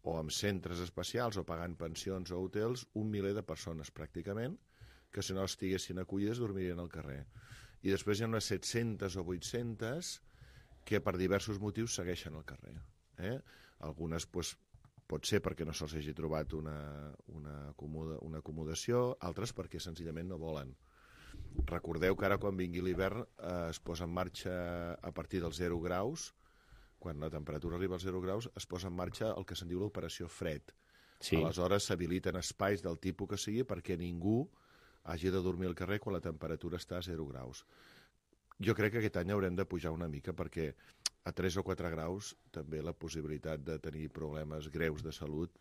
o amb centres especials o pagant pensions o hotels, 1 miler de persones pràcticament, que si no estiguessin acollides dormirien al carrer. I després hi ha unes 700 o 800 que per diversos motius segueixen al carrer. Algunes pot ser perquè no se'ls hagi trobat una acomodació, altres perquè senzillament no volen. Recordeu que ara quan vingui l'hivern es posa en marxa a partir dels 0 graus, quan la temperatura arriba als 0 graus, es posa en marxa el que se'n diu l'operació fred. Sí. Aleshores s'habiliten espais del tipus que sigui perquè ningú hagi de dormir al carrer quan la temperatura està a 0 graus. Jo crec que aquest any haurem de pujar una mica perquè a 3 o 4 graus també la possibilitat de tenir problemes greus de salut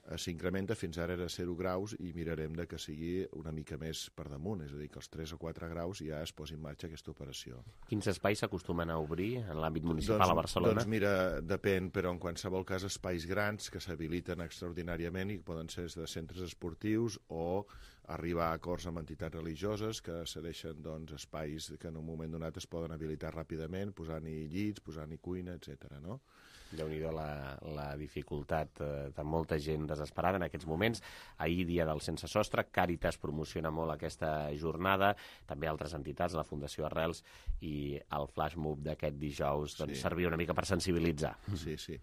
s'incrementa. Fins ara era 0 graus i mirarem de que sigui una mica més per damunt, és a dir, que als 3 o 4 graus ja es posi en marxa aquesta operació. Quins espais s'acostumen a obrir en l'àmbit municipal a Barcelona? Doncs mira, depèn, però en qualsevol cas espais grans que s'habiliten extraordinàriament i poden ser de centres esportius o arribar a acords amb entitats religioses que cedeixen espais que en un moment donat es poden habilitar ràpidament, posant-hi llits, posant-hi cuina, etc. no? Déu-n'hi-do la dificultat de molta gent desesperada en aquests moments. Ahir, dia del Sense Sostre, Càritas promociona molt aquesta jornada, també altres entitats, la Fundació Arrels, i el flash mob d'aquest dijous servia una mica per sensibilitzar. Sí.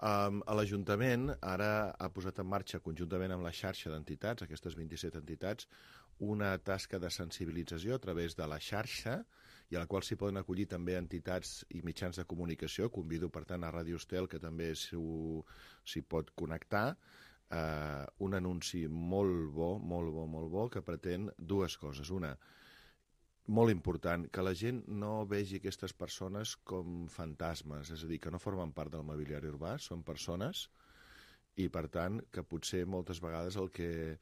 L'Ajuntament ara ha posat en marxa, conjuntament amb la xarxa d'entitats, aquestes 27 entitats, una tasca de sensibilització a través de la xarxa i a la qual s'hi poden acollir també entitats i mitjans de comunicació. Convido, per tant, a Ràdio Estel, que també s'hi pot connectar, un anunci molt bo, que pretén dues coses. Una, molt important, que la gent no vegi aquestes persones com fantasmes, és a dir, que no formen part del mobiliari urbà, són persones, i per tant que potser moltes vegades el que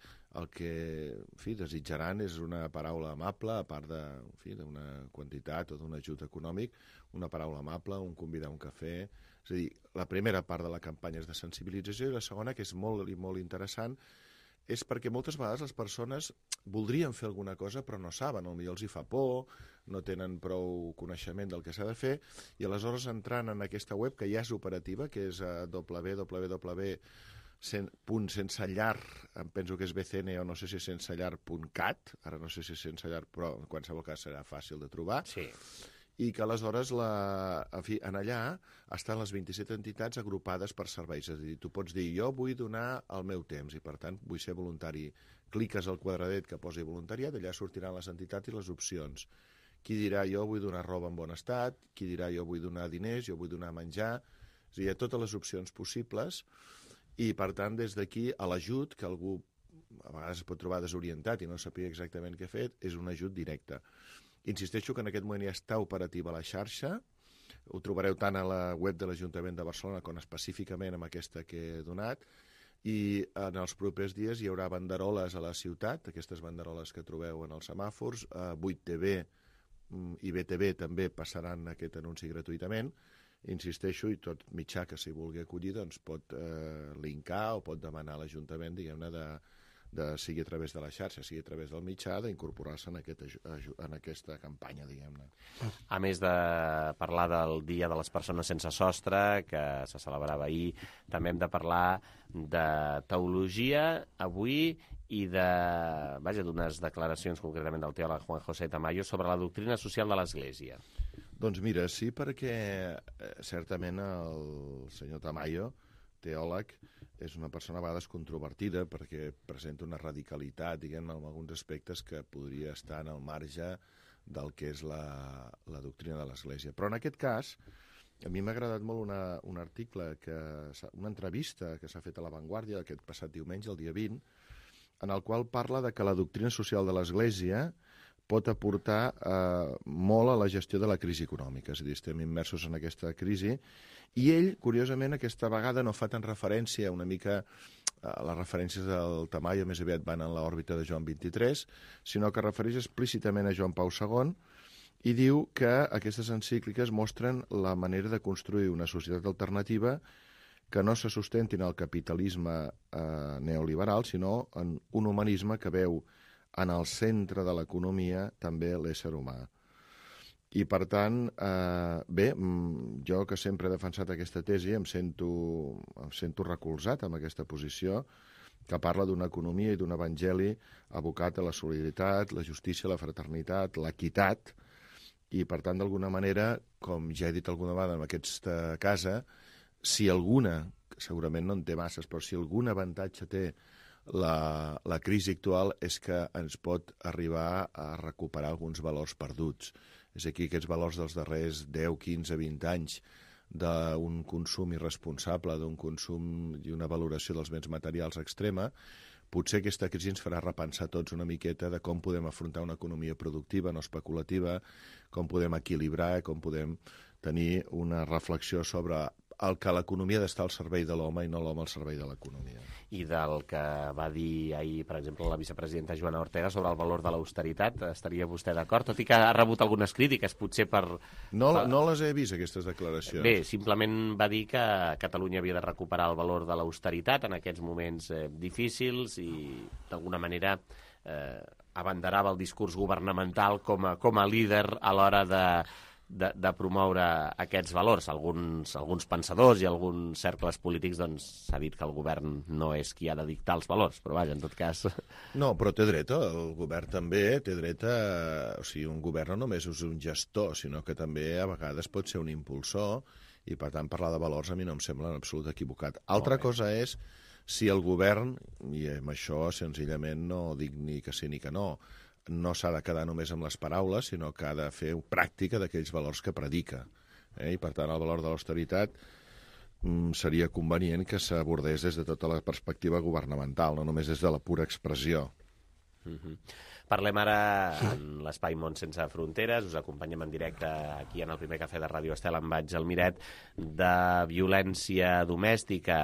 desitjaran és una paraula amable, a part d'una quantitat o d'un ajut econòmic, una paraula amable, un convidar a un cafè. És a dir, la primera part de la campanya és de sensibilització i la segona, que és molt interessant, és perquè moltes vegades les persones voldrien fer alguna cosa però no saben, potser els hi fa por, no tenen prou coneixement del que s'ha de fer, i aleshores entrant en aquesta web que ja és operativa, que és www.sensellar, em penso que és BCN o no sé si sensellar.cat, ara no sé si sensellar, però en qualsevol cas serà fàcil de trobar, i que aleshores en allà estan les 27 entitats agrupades per serveis. És a dir, tu pots dir, jo vull donar el meu temps i per tant vull ser voluntari. Cliques al quadradet que posi voluntariat, allà sortiran les entitats i les opcions. Qui dirà jo vull donar roba en bon estat, qui dirà jo vull donar diners, jo vull donar menjar. És a dir, hi ha totes les opcions possibles i per tant des d'aquí a l'ajut que algú a vegades es pot trobar desorientat i no sàpiga exactament què ha fet, és un ajut directe. Insisteixo que en aquest moment ja està operativa la xarxa, ho trobareu tant a la web de l'Ajuntament de Barcelona com específicament amb aquesta que he donat, i en els propers dies hi haurà banderoles a la ciutat, aquestes banderoles que trobeu en els semàfors, 8TV i BTV també passaran aquest anunci gratuïtament. Insisteixo, i tot mitjà que s'hi vulgui acollir doncs pot linkar o pot demanar a l'Ajuntament, diguem-ne, sigui a través de la xarxa, sigui a través del mitjà, d'incorporar-se en aquesta campanya, diguem-ne. A més de parlar del Dia de les Persones Sense Sostre, que se celebrava ahir, també hem de parlar de teologia avui i d'unes declaracions concretament del teòleg Juan José Tamayo sobre la doctrina social de l'Església. Doncs mira, sí, perquè certament el senyor Tamayo, teòleg, és una persona a vegades controvertida perquè presenta una radicalitat, diguem-ne, en alguns aspectes que podria estar en el marge del que és la doctrina de l'Església. Però en aquest cas, a mi m'ha agradat molt un article, una entrevista que s'ha fet a La Vanguardia aquest passat diumenge, el dia 20, en el qual parla de que la doctrina social de l'Església pot aportar molt a la gestió de la crisi econòmica. És a dir, estem immersos en aquesta crisi i ell, curiosament, aquesta vegada no fa tant referència una mica les referències del Tamayo més aviat van en l'òrbita de Joan XXIII, sinó que refereix explícitament a Joan Pau II i diu que aquestes encícliques mostren la manera de construir una societat alternativa que no se sustenti en el capitalisme neoliberal, sinó en un humanisme que veu en el centre de l'economia també l'ésser humà. I, per tant, bé, jo que sempre he defensat aquesta tesi em sento recolzat amb aquesta posició que parla d'una economia i d'un evangeli abocat a la solidaritat, la justícia, la fraternitat, l'equitat, i, per tant, d'alguna manera, com ja he dit alguna vegada en aquesta casa, si alguna, segurament no en té masses, però si algun avantatge té la crisi actual és que ens pot arribar a recuperar alguns valors perduts. És aquí aquests valors dels darrers 10, 15, 20 anys d'un consum irresponsable, d'un consum i una valoració dels béns materials extrema, potser aquesta crisi ens farà repensar tots una miqueta de com podem afrontar una economia productiva, no especulativa, com podem equilibrar, com podem tenir una reflexió sobre el que l'economia ha d'estar al servei de l'home i no l'home al servei de l'economia. I del que va dir ahir, per exemple, la vicepresidenta Joana Ortega sobre el valor de l'austeritat, estaria vostè d'acord? Tot i que ha rebut algunes crítiques, potser per... No les he vist, aquestes declaracions. Bé, simplement va dir que Catalunya havia de recuperar el valor de l'austeritat en aquests moments difícils i, d'alguna manera, abanderava el discurs governamental com a líder a l'hora de promoure aquests valors. Alguns pensadors i alguns cercles polítics s'ha dit que el govern no és qui ha de dictar els valors, però vaja, en tot cas... No, però té dret, el govern també té dret a... O sigui, un govern no només és un gestor, sinó que també a vegades pot ser un impulsor i, per tant, parlar de valors a mi no em sembla en absolut equivocat. Altra cosa és si el govern, i amb això senzillament no dic ni que sí ni que no s'ha de quedar només amb les paraules, sinó que ha de fer pràctica d'aquells valors que predica. I, per tant, el valor de l'austeritat seria convenient que s'abordés des de tota la perspectiva governamental, no només des de la pura expressió. Parlem ara en l'Espai Món Sense Fronteres, us acompanyem en directe aquí en el primer cafè de Ràdio Estel amb Vaig al Miret, de violència domèstica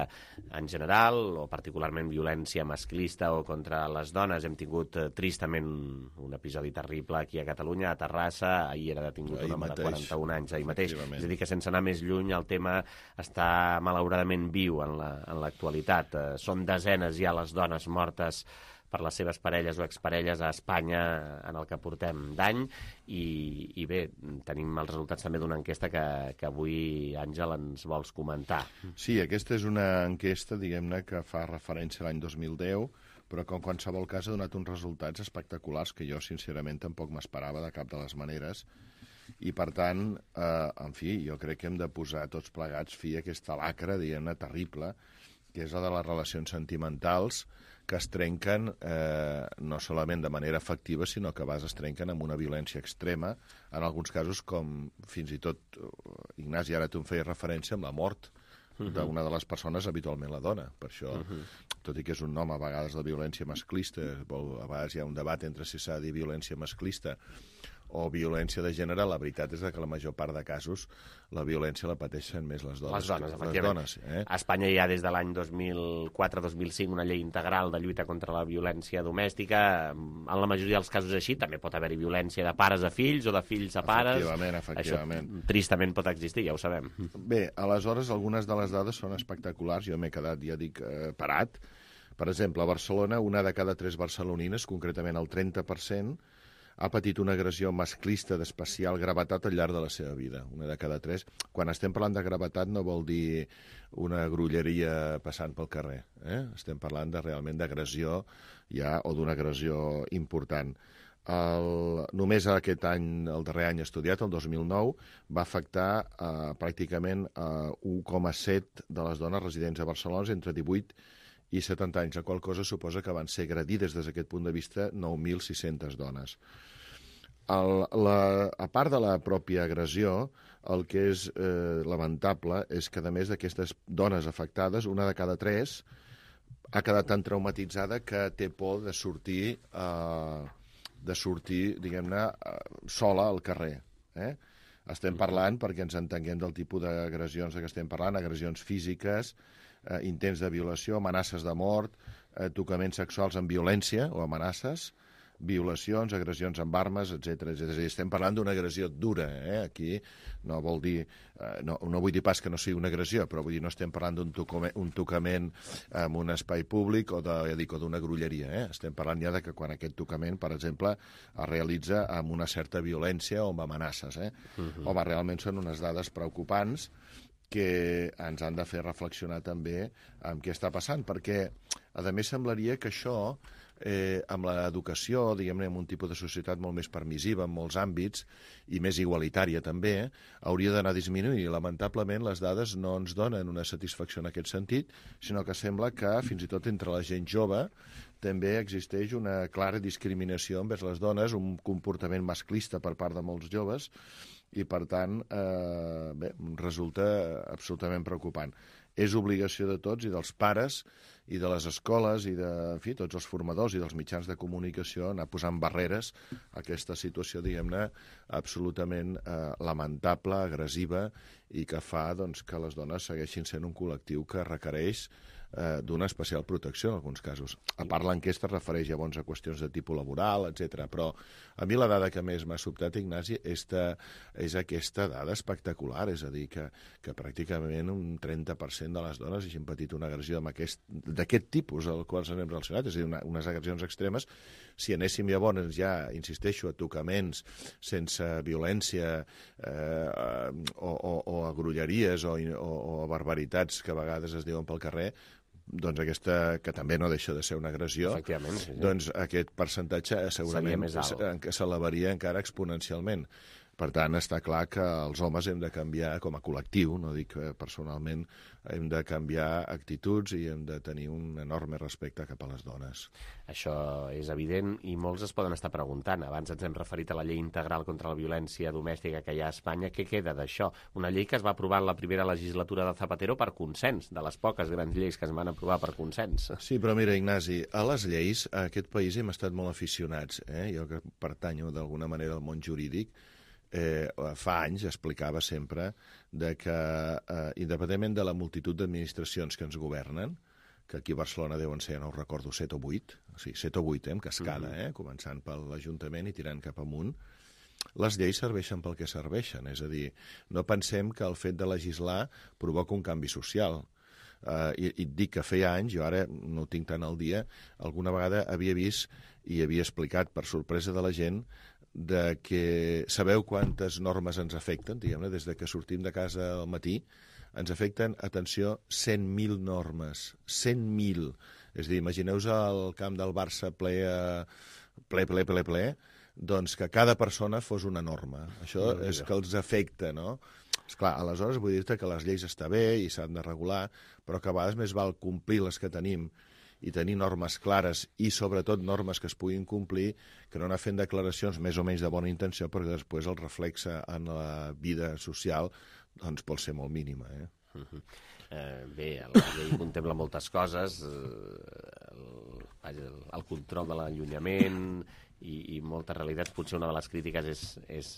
en general, o particularment violència masclista o contra les dones. Hem tingut tristament un episodi terrible aquí a Catalunya, a Terrassa, ahir era detingut un home de 41 anys, ahir mateix. És a dir, que sense anar més lluny, el tema està malauradament viu en l'actualitat. Són desenes ja les dones mortes per les seves parelles o exparelles a Espanya en el que portem d'any i bé, tenim els resultats també d'una enquesta que avui, Àngel, ens vols comentar. Sí, aquesta és una enquesta, diguem-ne, que fa referència a l'any 2010, però que en qualsevol cas ha donat uns resultats espectaculars que jo, sincerament, tampoc m'esperava de cap de les maneres. I, per tant, en fi, jo crec que hem de posar tots plegats fi a aquesta lacra, diguem-ne, terrible, que és la de les relacions sentimentals, que es trenquen no solament de manera efectiva, sinó que a vegades es trenquen amb una violència extrema, en alguns casos com fins i tot, Ignasi, ara tu em feies referència amb la mort d'una de les persones, habitualment la dona. Per això, tot i que és un nom a vegades de violència masclista, a vegades hi ha un debat entre si s'ha de dir violència masclista o violència de gènere, la veritat és que la major part de casos la violència la pateixen més les dones. Efectivament. A Espanya hi ha des de l'any 2004-2005 una llei integral de lluita contra la violència domèstica. En la majoria dels casos així també pot haver-hi violència de pares a fills o de fills a pares. Efectivament. Això tristament pot existir, ja ho sabem. Bé, aleshores, algunes de les dades són espectaculars. Jo m'he quedat, ja dic, parat. Per exemple, a Barcelona, una de cada 3 barcelonines, concretament el 30%, ha patit una agressió masclista d'especial gravetat al llarg de la seva vida. Una de cada 3. Quan estem parlant de gravetat no vol dir una grolleria passant pel carrer. Estem parlant realment d'agressió o d'una agressió important. Només aquest any, el darrer any estudiat, el 2009, va afectar pràcticament 1,7 de les dones residents a Barcelona entre 18 i 70 anys, la qual cosa suposa que van ser agredides des d'aquest punt de vista 9.600 dones. A part de la pròpia agressió, el que és lamentable és que, a més d'aquestes dones afectades, una de cada 3 ha quedat tan traumatitzada que té por de sortir, diguem-ne, sola al carrer. Estem parlant, perquè ens entenguem del tipus d'agressions que estem parlant, agressions físiques, intents de violació, amenaces de mort, tocaments sexuals amb violència o amenaces, violacions, agressions amb armes, etc. És a dir, estem parlant d'una agressió dura. Aquí no vol dir, no vull dir pas que no sigui una agressió, però vull dir, no estem parlant d'un tocament en un espai públic o d'una grolleria. Estem parlant ja de que quan aquest tocament, per exemple, es realitza amb una certa violència o amb amenaces. Home, realment són unes dades preocupants que ens han de fer reflexionar també amb què està passant, perquè, a més, semblaria que això, amb l'educació, diguem-ne, en un tipus de societat molt més permissiva en molts àmbits i més igualitària també, hauria d'anar disminuint. I, lamentablement, les dades no ens donen una satisfacció en aquest sentit, sinó que sembla que, fins i tot entre la gent jove, també existeix una clara discriminació envers les dones, un comportament masclista per part de molts joves, i, per tant, resulta absolutament preocupant. És obligació de tots i dels pares i de les escoles i de tots els formadors i dels mitjans de comunicació anar posant barreres a aquesta situació, diguem-ne, absolutament lamentable, agressiva i que fa que les dones segueixin sent un col·lectiu que requereix d'una especial protecció en alguns casos. A part, l'enquesta es refereix llavors a qüestions de tipus laboral, etc. Però a mi la dada que més m'ha sobtat, Ignasi, és aquesta dada espectacular, és a dir, que pràcticament un 30% de les dones hagin patit una agressió d'aquest tipus al qual ens hem relacionat, és a dir, unes agressions extremes. Si anéssim llavors, ja insisteixo, a tocaments sense violència o a grolleries o a barbaritats que a vegades es diuen pel carrer, doncs aquesta, que també no deixa de ser una agressió, doncs aquest percentatge segurament s'elevaria encara exponencialment. Per tant, està clar que els homes hem de canviar com a col·lectiu, no dic personalment, hem de canviar actituds i hem de tenir un enorme respecte cap a les dones. Això és evident i molts es poden estar preguntant. Abans ens hem referit a la llei integral contra la violència domèstica que hi ha a Espanya. Què queda d'això? Una llei que es va aprovar en la primera legislatura de Zapatero per consens, de les poques grans lleis que es van aprovar per consens. Sí, però mira, Ignasi, a les lleis, a aquest país hem estat molt aficionats. Jo que pertanyo d'alguna manera al món jurídic, fa anys explicava sempre que, independentment de la multitud d'administracions que ens governen, que aquí a Barcelona deuen ser, no ho recordo, 7 o 8, o sigui, 7 o 8 en cascada, començant per l'Ajuntament i tirant cap amunt, les lleis serveixen pel que serveixen. És a dir, no pensem que el fet de legislar provoca un canvi social. I et dic que feia anys, jo ara no ho tinc tant al dia, alguna vegada havia vist i havia explicat per sorpresa de la gent de que sabeu quantes normes ens afecten, diguem-ne, des de que sortim de casa al matí, ens afecten, atenció, 100.000 normes. 100.000. És a dir, imagineu-vos el camp del Barça ple, doncs que cada persona fos una norma. Això és que els afecta, no? Esclar, aleshores vull dir-te que les lleis està bé i s'han de regular, però que a vegades més val complir les que tenim i tenir normes clares i, sobretot, normes que es puguin complir, que no anar fent declaracions més o menys de bona intenció, perquè després el reflexe en la vida social doncs, pot ser molt mínima. Bé, la llei contempla moltes coses, el control de l'allunyament i moltes realitats. Potser una de les crítiques és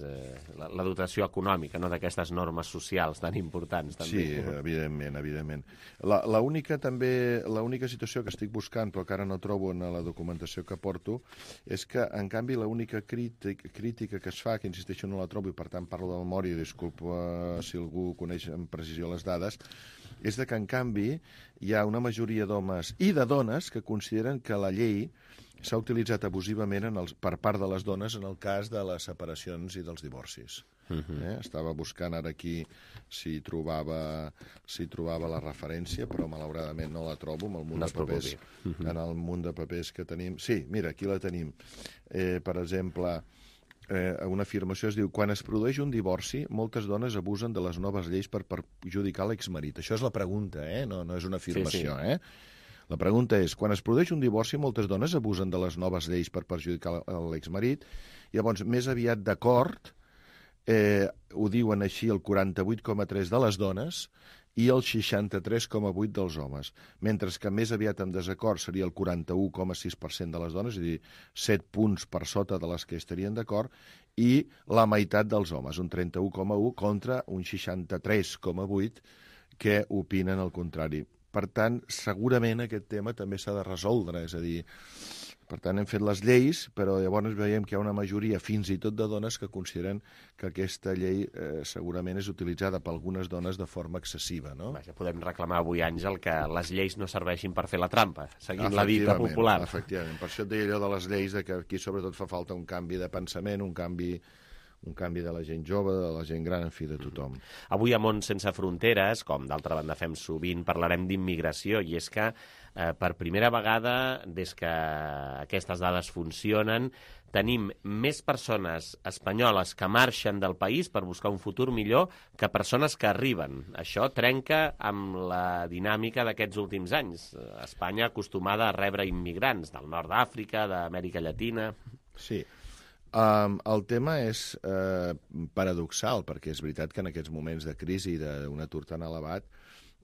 la dotació econòmica, no, d'aquestes normes socials tan importants. També. Sí, evidentment. L'única situació que estic buscant, però que ara no trobo en la documentació que porto, és que, en canvi, l'única crítica que es fa, que insisteixo no la trobo i per tant parlo de memòria, i disculpa si algú coneix amb precisió les dades, és que, en canvi, hi ha una majoria d'homes i de dones que consideren que la llei s'ha utilitzat abusivament per part de les dones en el cas de les separacions i dels divorcis. Estava buscant ara aquí si trobava la referència, però malauradament no la trobo en el munt de papers. En el munt de papers que tenim... Sí, mira, aquí la tenim. Per exemple, una afirmació es diu: quan es produeix un divorci, moltes dones abusen de les noves lleis per perjudicar l'exmarit. Això és la pregunta, no és una afirmació, La pregunta és, quan es produeix un divorci, moltes dones abusen de les noves lleis per perjudicar l'exmarit. Llavors, més aviat d'acord, ho diuen així el 48,3% de les dones i el 63,8% dels homes, mentre que més aviat en desacord seria el 41,6% de les dones, és a dir, 7 punts per sota de les que estarien d'acord, i la meitat dels homes, un 31,1% contra un 63,8% que opinen el contrari. Per tant, segurament aquest tema també s'ha de resoldre, és a dir, per tant, hem fet les lleis, però llavors veiem que hi ha una majoria, fins i tot de dones, que consideren que aquesta llei segurament és utilitzada per algunes dones de forma excessiva, no? Vaja, podem reclamar avui, Àngel, que les lleis no serveixin per fer la trampa, seguint la dita popular. Efectivament, per això et deia allò de les lleis, que aquí sobretot fa falta un canvi de pensament, un canvi de la gent jove, de la gent gran, en fi, de tothom. Avui a Món Sense Fronteres, com d'altra banda fem sovint, parlarem d'immigració, i és que per primera vegada, des que aquestes dades funcionen, tenim més persones espanyoles que marxen del país per buscar un futur millor que persones que arriben. Això trenca amb la dinàmica d'aquests últims anys. Espanya acostumada a rebre immigrants del nord d'Àfrica, d'Amèrica Llatina... Sí. El tema és paradoxal, perquè és veritat que en aquests moments de crisi i d'un atur tan elevat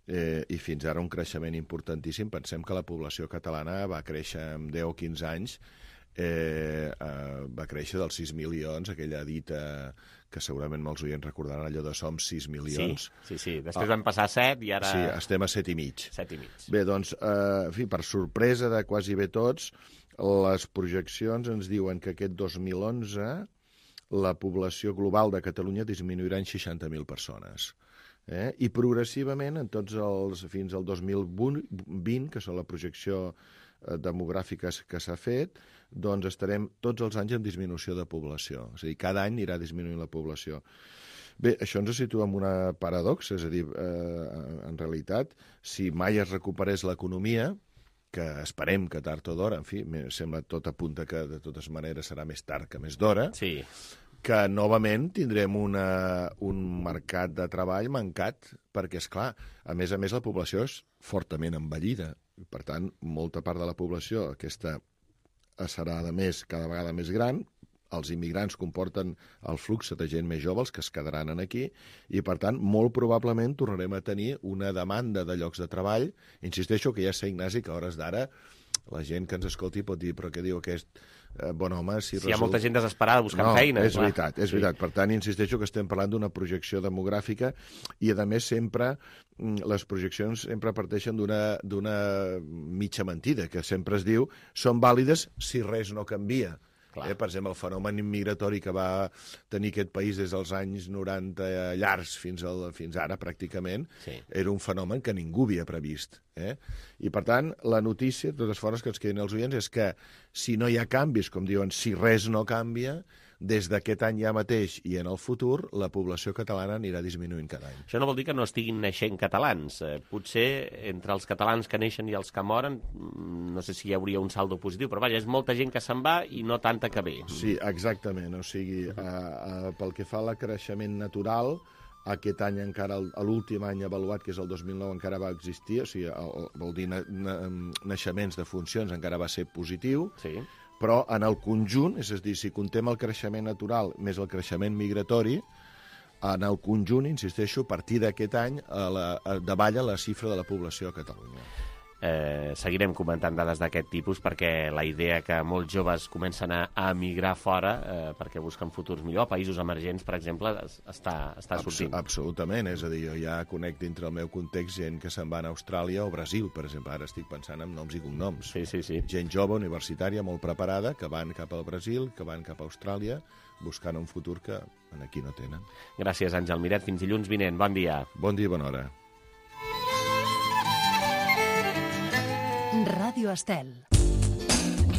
i fins ara un creixement importantíssim, pensem que la població catalana va créixer en 10 o 15 anys, va créixer dels 6 milions, aquella dita que segurament molts oients recordaran, allò de som 6 milions. Sí. Després vam passar a 7 i ara... Sí, estem a 7,5. 7,5. Bé, doncs, en fi, per sorpresa de quasi bé tots, les projeccions ens diuen que aquest 2011 la població global de Catalunya disminuirà en 60.000 persones. I progressivament, fins al 2020, que és la projecció demogràfica que s'ha fet, doncs estarem tots els anys en disminució de població. És a dir, cada any anirà disminuint la població. Bé, això ens situa en una paradoxa, és a dir, en realitat, si mai es recuperés l'economia, que esperem que tard o d'hora, en fi, sembla tot apunta que de totes maneres serà més tard que més d'hora, que novament tindrem un mercat de treball mancat, perquè, esclar, a més la població és fortament envellida. Per tant, molta part de la població, aquesta serà cada vegada més gran. Els immigrants comporten el flux de gent més jove, els que es quedaran aquí, i, per tant, molt probablement tornarem a tenir una demanda de llocs de treball. Insisteixo que ja sé, Ignasi, que a hores d'ara la gent que ens escolti pot dir però què diu aquest bon home? Si hi ha molta gent desesperada buscant feina. És veritat. Per tant, insisteixo que estem parlant d'una projecció demogràfica i, a més, sempre les projeccions sempre parteixen d'una mitja mentida, que sempre es diu són vàlides si res no canvia. Per exemple, el fenomen immigratori que va tenir aquest país des dels anys 90 llargs fins ara, pràcticament, era un fenomen que ningú havia previst. I, per tant, la notícia, de totes formes, que ens queden els oients, és que si no hi ha canvis, com diuen, si res no canvia, des d'aquest any ja mateix i en el futur, la població catalana anirà disminuint cada any. Això no vol dir que no estiguin naixent catalans. Potser entre els catalans que neixen i els que moren, no sé si hi hauria un saldo positiu, però vaja, és molta gent que se'n va i no tanta que ve. Sí, exactament. O sigui, pel que fa a creixement natural, aquest any encara, l'últim any avaluat, que és el 2009, encara va existir, o sigui, vol dir naixements de funcions, encara va ser positiu, però en el conjunt, és a dir, si contem el creixement natural més el creixement migratori, en el conjunt, insisteixo, a partir d'aquest any davalla la xifra de la població a Catalunya. Seguirem comentant dades d'aquest tipus perquè la idea que molts joves comencen a emigrar fora perquè busquen futurs millor, països emergents, per exemple, està sortint. Absolutament, és a dir, jo ja conec dintre el meu context gent que se'n va a Austràlia o Brasil, per exemple, ara estic pensant en noms i cognoms. Sí. Gent jove, universitària, molt preparada, que van cap al Brasil, que van cap a Austràlia, buscant un futur que aquí no tenen. Gràcies, Àngel Miret. Fins dilluns vinent. Bon dia. Bon dia i bona hora. Ràdio Estel.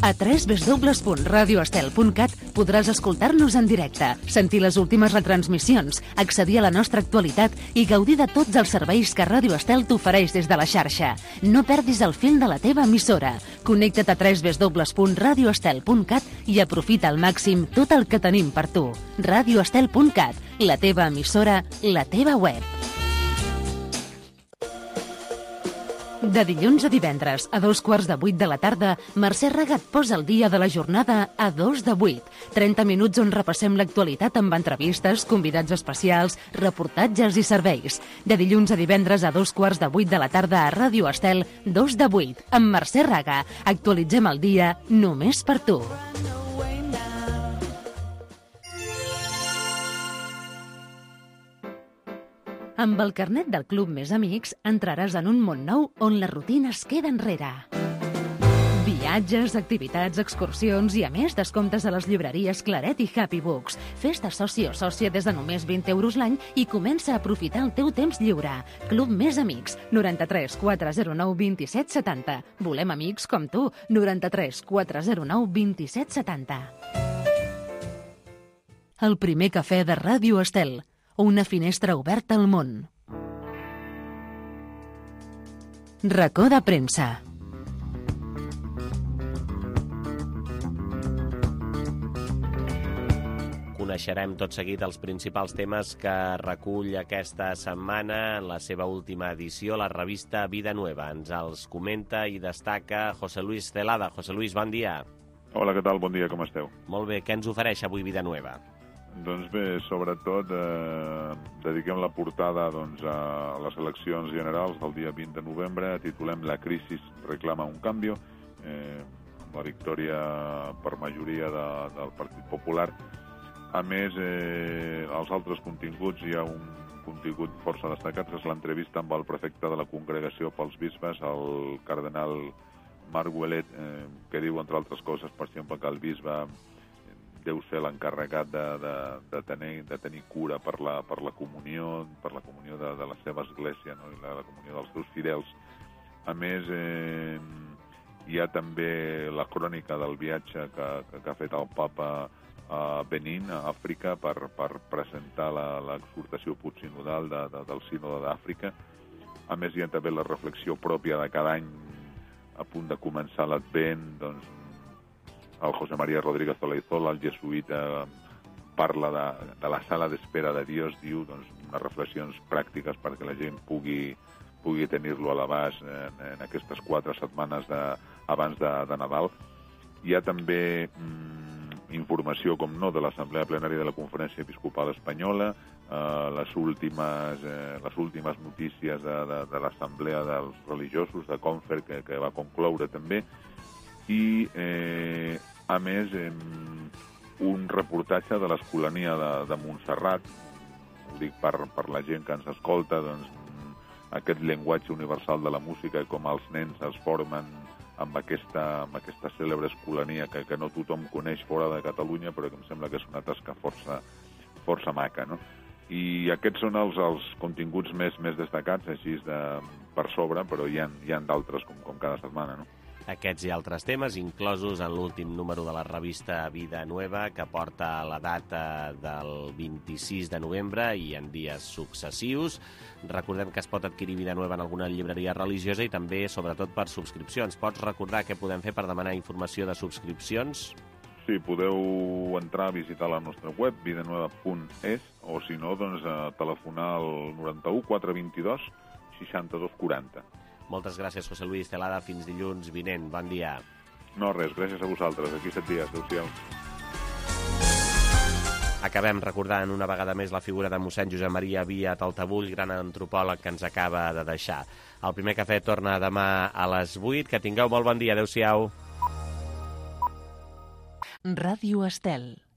A www.radioestel.cat podràs escoltar-nos en directe, sentir les últimes retransmissions, accedir a la nostra actualitat i gaudir de tots els serveis que Ràdio Estel t'ofereix des de la xarxa. No perdis el fil de la teva emissora. Connecta't a www.radioestel.cat i aprofita al màxim tot el que tenim per tu. Radioestel.cat, la teva emissora, la teva web. De dilluns a divendres, a 7:45 de la tarda, Mercè Raga et posa el dia de la jornada a 7:45. 30 minuts on repassem l'actualitat amb entrevistes, convidats especials, reportatges i serveis. De dilluns a divendres a 7:15 de la tarda a Ràdio Estel, 2:08, amb Mercè Raga. Actualitzem el dia només per tu. Amb el carnet del Club Més Amics entraràs en un món nou on la rutina es queda enrere. Viatges, activitats, excursions i, a més, descomptes a les llibreries Claret i Happy Books. Fes-te soci o sòcia des de només 20 euros l'any i comença a aprofitar el teu temps lliure. Club Més Amics, 93 409 27 70. Volem amics com tu, 93 409 27 70. El primer cafè de Ràdio Estel. Una finestra oberta al món. Racó de premsa. Coneixerem tot seguit els principals temes que recull aquesta setmana en la seva última edició, la revista Vida Nueva. Ens els comenta i destaca José Luis Celada. José Luis, bon dia. Hola, què tal? Bon dia, com esteu? Molt bé, què ens ofereix avui Vida Nueva? Doncs bé, sobretot dediquem la portada a les eleccions generals del dia 20 de novembre, titulem La crisi reclama un canvi, amb la victòria per majoria del Partit Popular. A més, als altres continguts hi ha un contingut força destacat, que és l'entrevista amb el prefecte de la Congregació pels Bisbes, el cardenal Marc Ouellet, que diu, entre altres coses, per exemple, que el bisbe deu ser l'encarregat de tenir cura per la comunió, de la seva església, no? I la comunió dels seus fidels. A més, hi ha també la crònica del viatge que ha fet el papa a Benín, a Àfrica, per presentar l'exhortació postsinodal del sínode d'Àfrica. A més, hi ha també la reflexió pròpia de cada any a punt de començar l'Advent, doncs, el José María Rodríguez Olaizola, el jesuïta, parla de la sala d'espera de Dios, diu, doncs, unes reflexions pràctiques perquè la gent pugui tenir-lo a l'abast en aquestes 4 setmanes abans de Nadal. Hi ha també informació, com no, de l'Assemblea Plenària de la Conferència Episcopal Espanyola, les últimes notícies de l'Assemblea dels Religiosos, de Confer, que va concloure també, i a més un reportatge de l'Escolania de Montserrat. Ho dic per la gent que ens escolta, doncs, aquest llenguatge universal de la música i com els nens es formen amb aquesta cèlebre escolania que no tothom coneix fora de Catalunya, però que em sembla que és una tasca força maca, no? I aquests són els continguts més destacats, així per sobre, però hi ha d'altres com cada setmana, no? Aquests i altres temes, inclosos en l'últim número de la revista Vida Nueva, que porta la data del 26 de novembre i en dies successius. Recordem que es pot adquirir Vida Nueva en alguna llibreria religiosa i també, sobretot, per subscripcions. Pots recordar què podem fer per demanar informació de subscripcions? Sí, podeu entrar a visitar la nostra web, vidanueva.es, o si no, doncs, telefonar al 91 422 62 40. Moltes gràcies, José Luis Celada. Fins dilluns vinent. Bon dia. No, res, gràcies a vosaltres. Aquí 7 dies. Adéu-siau. Acabem recordant una vegada més la figura de mossèn Josep Maria Via Taltabull, gran antropòleg que ens acaba de deixar. El primer cafè torna demà a les 8. Que tingueu molt bon dia. Adéu-siau. Ràdio Estel.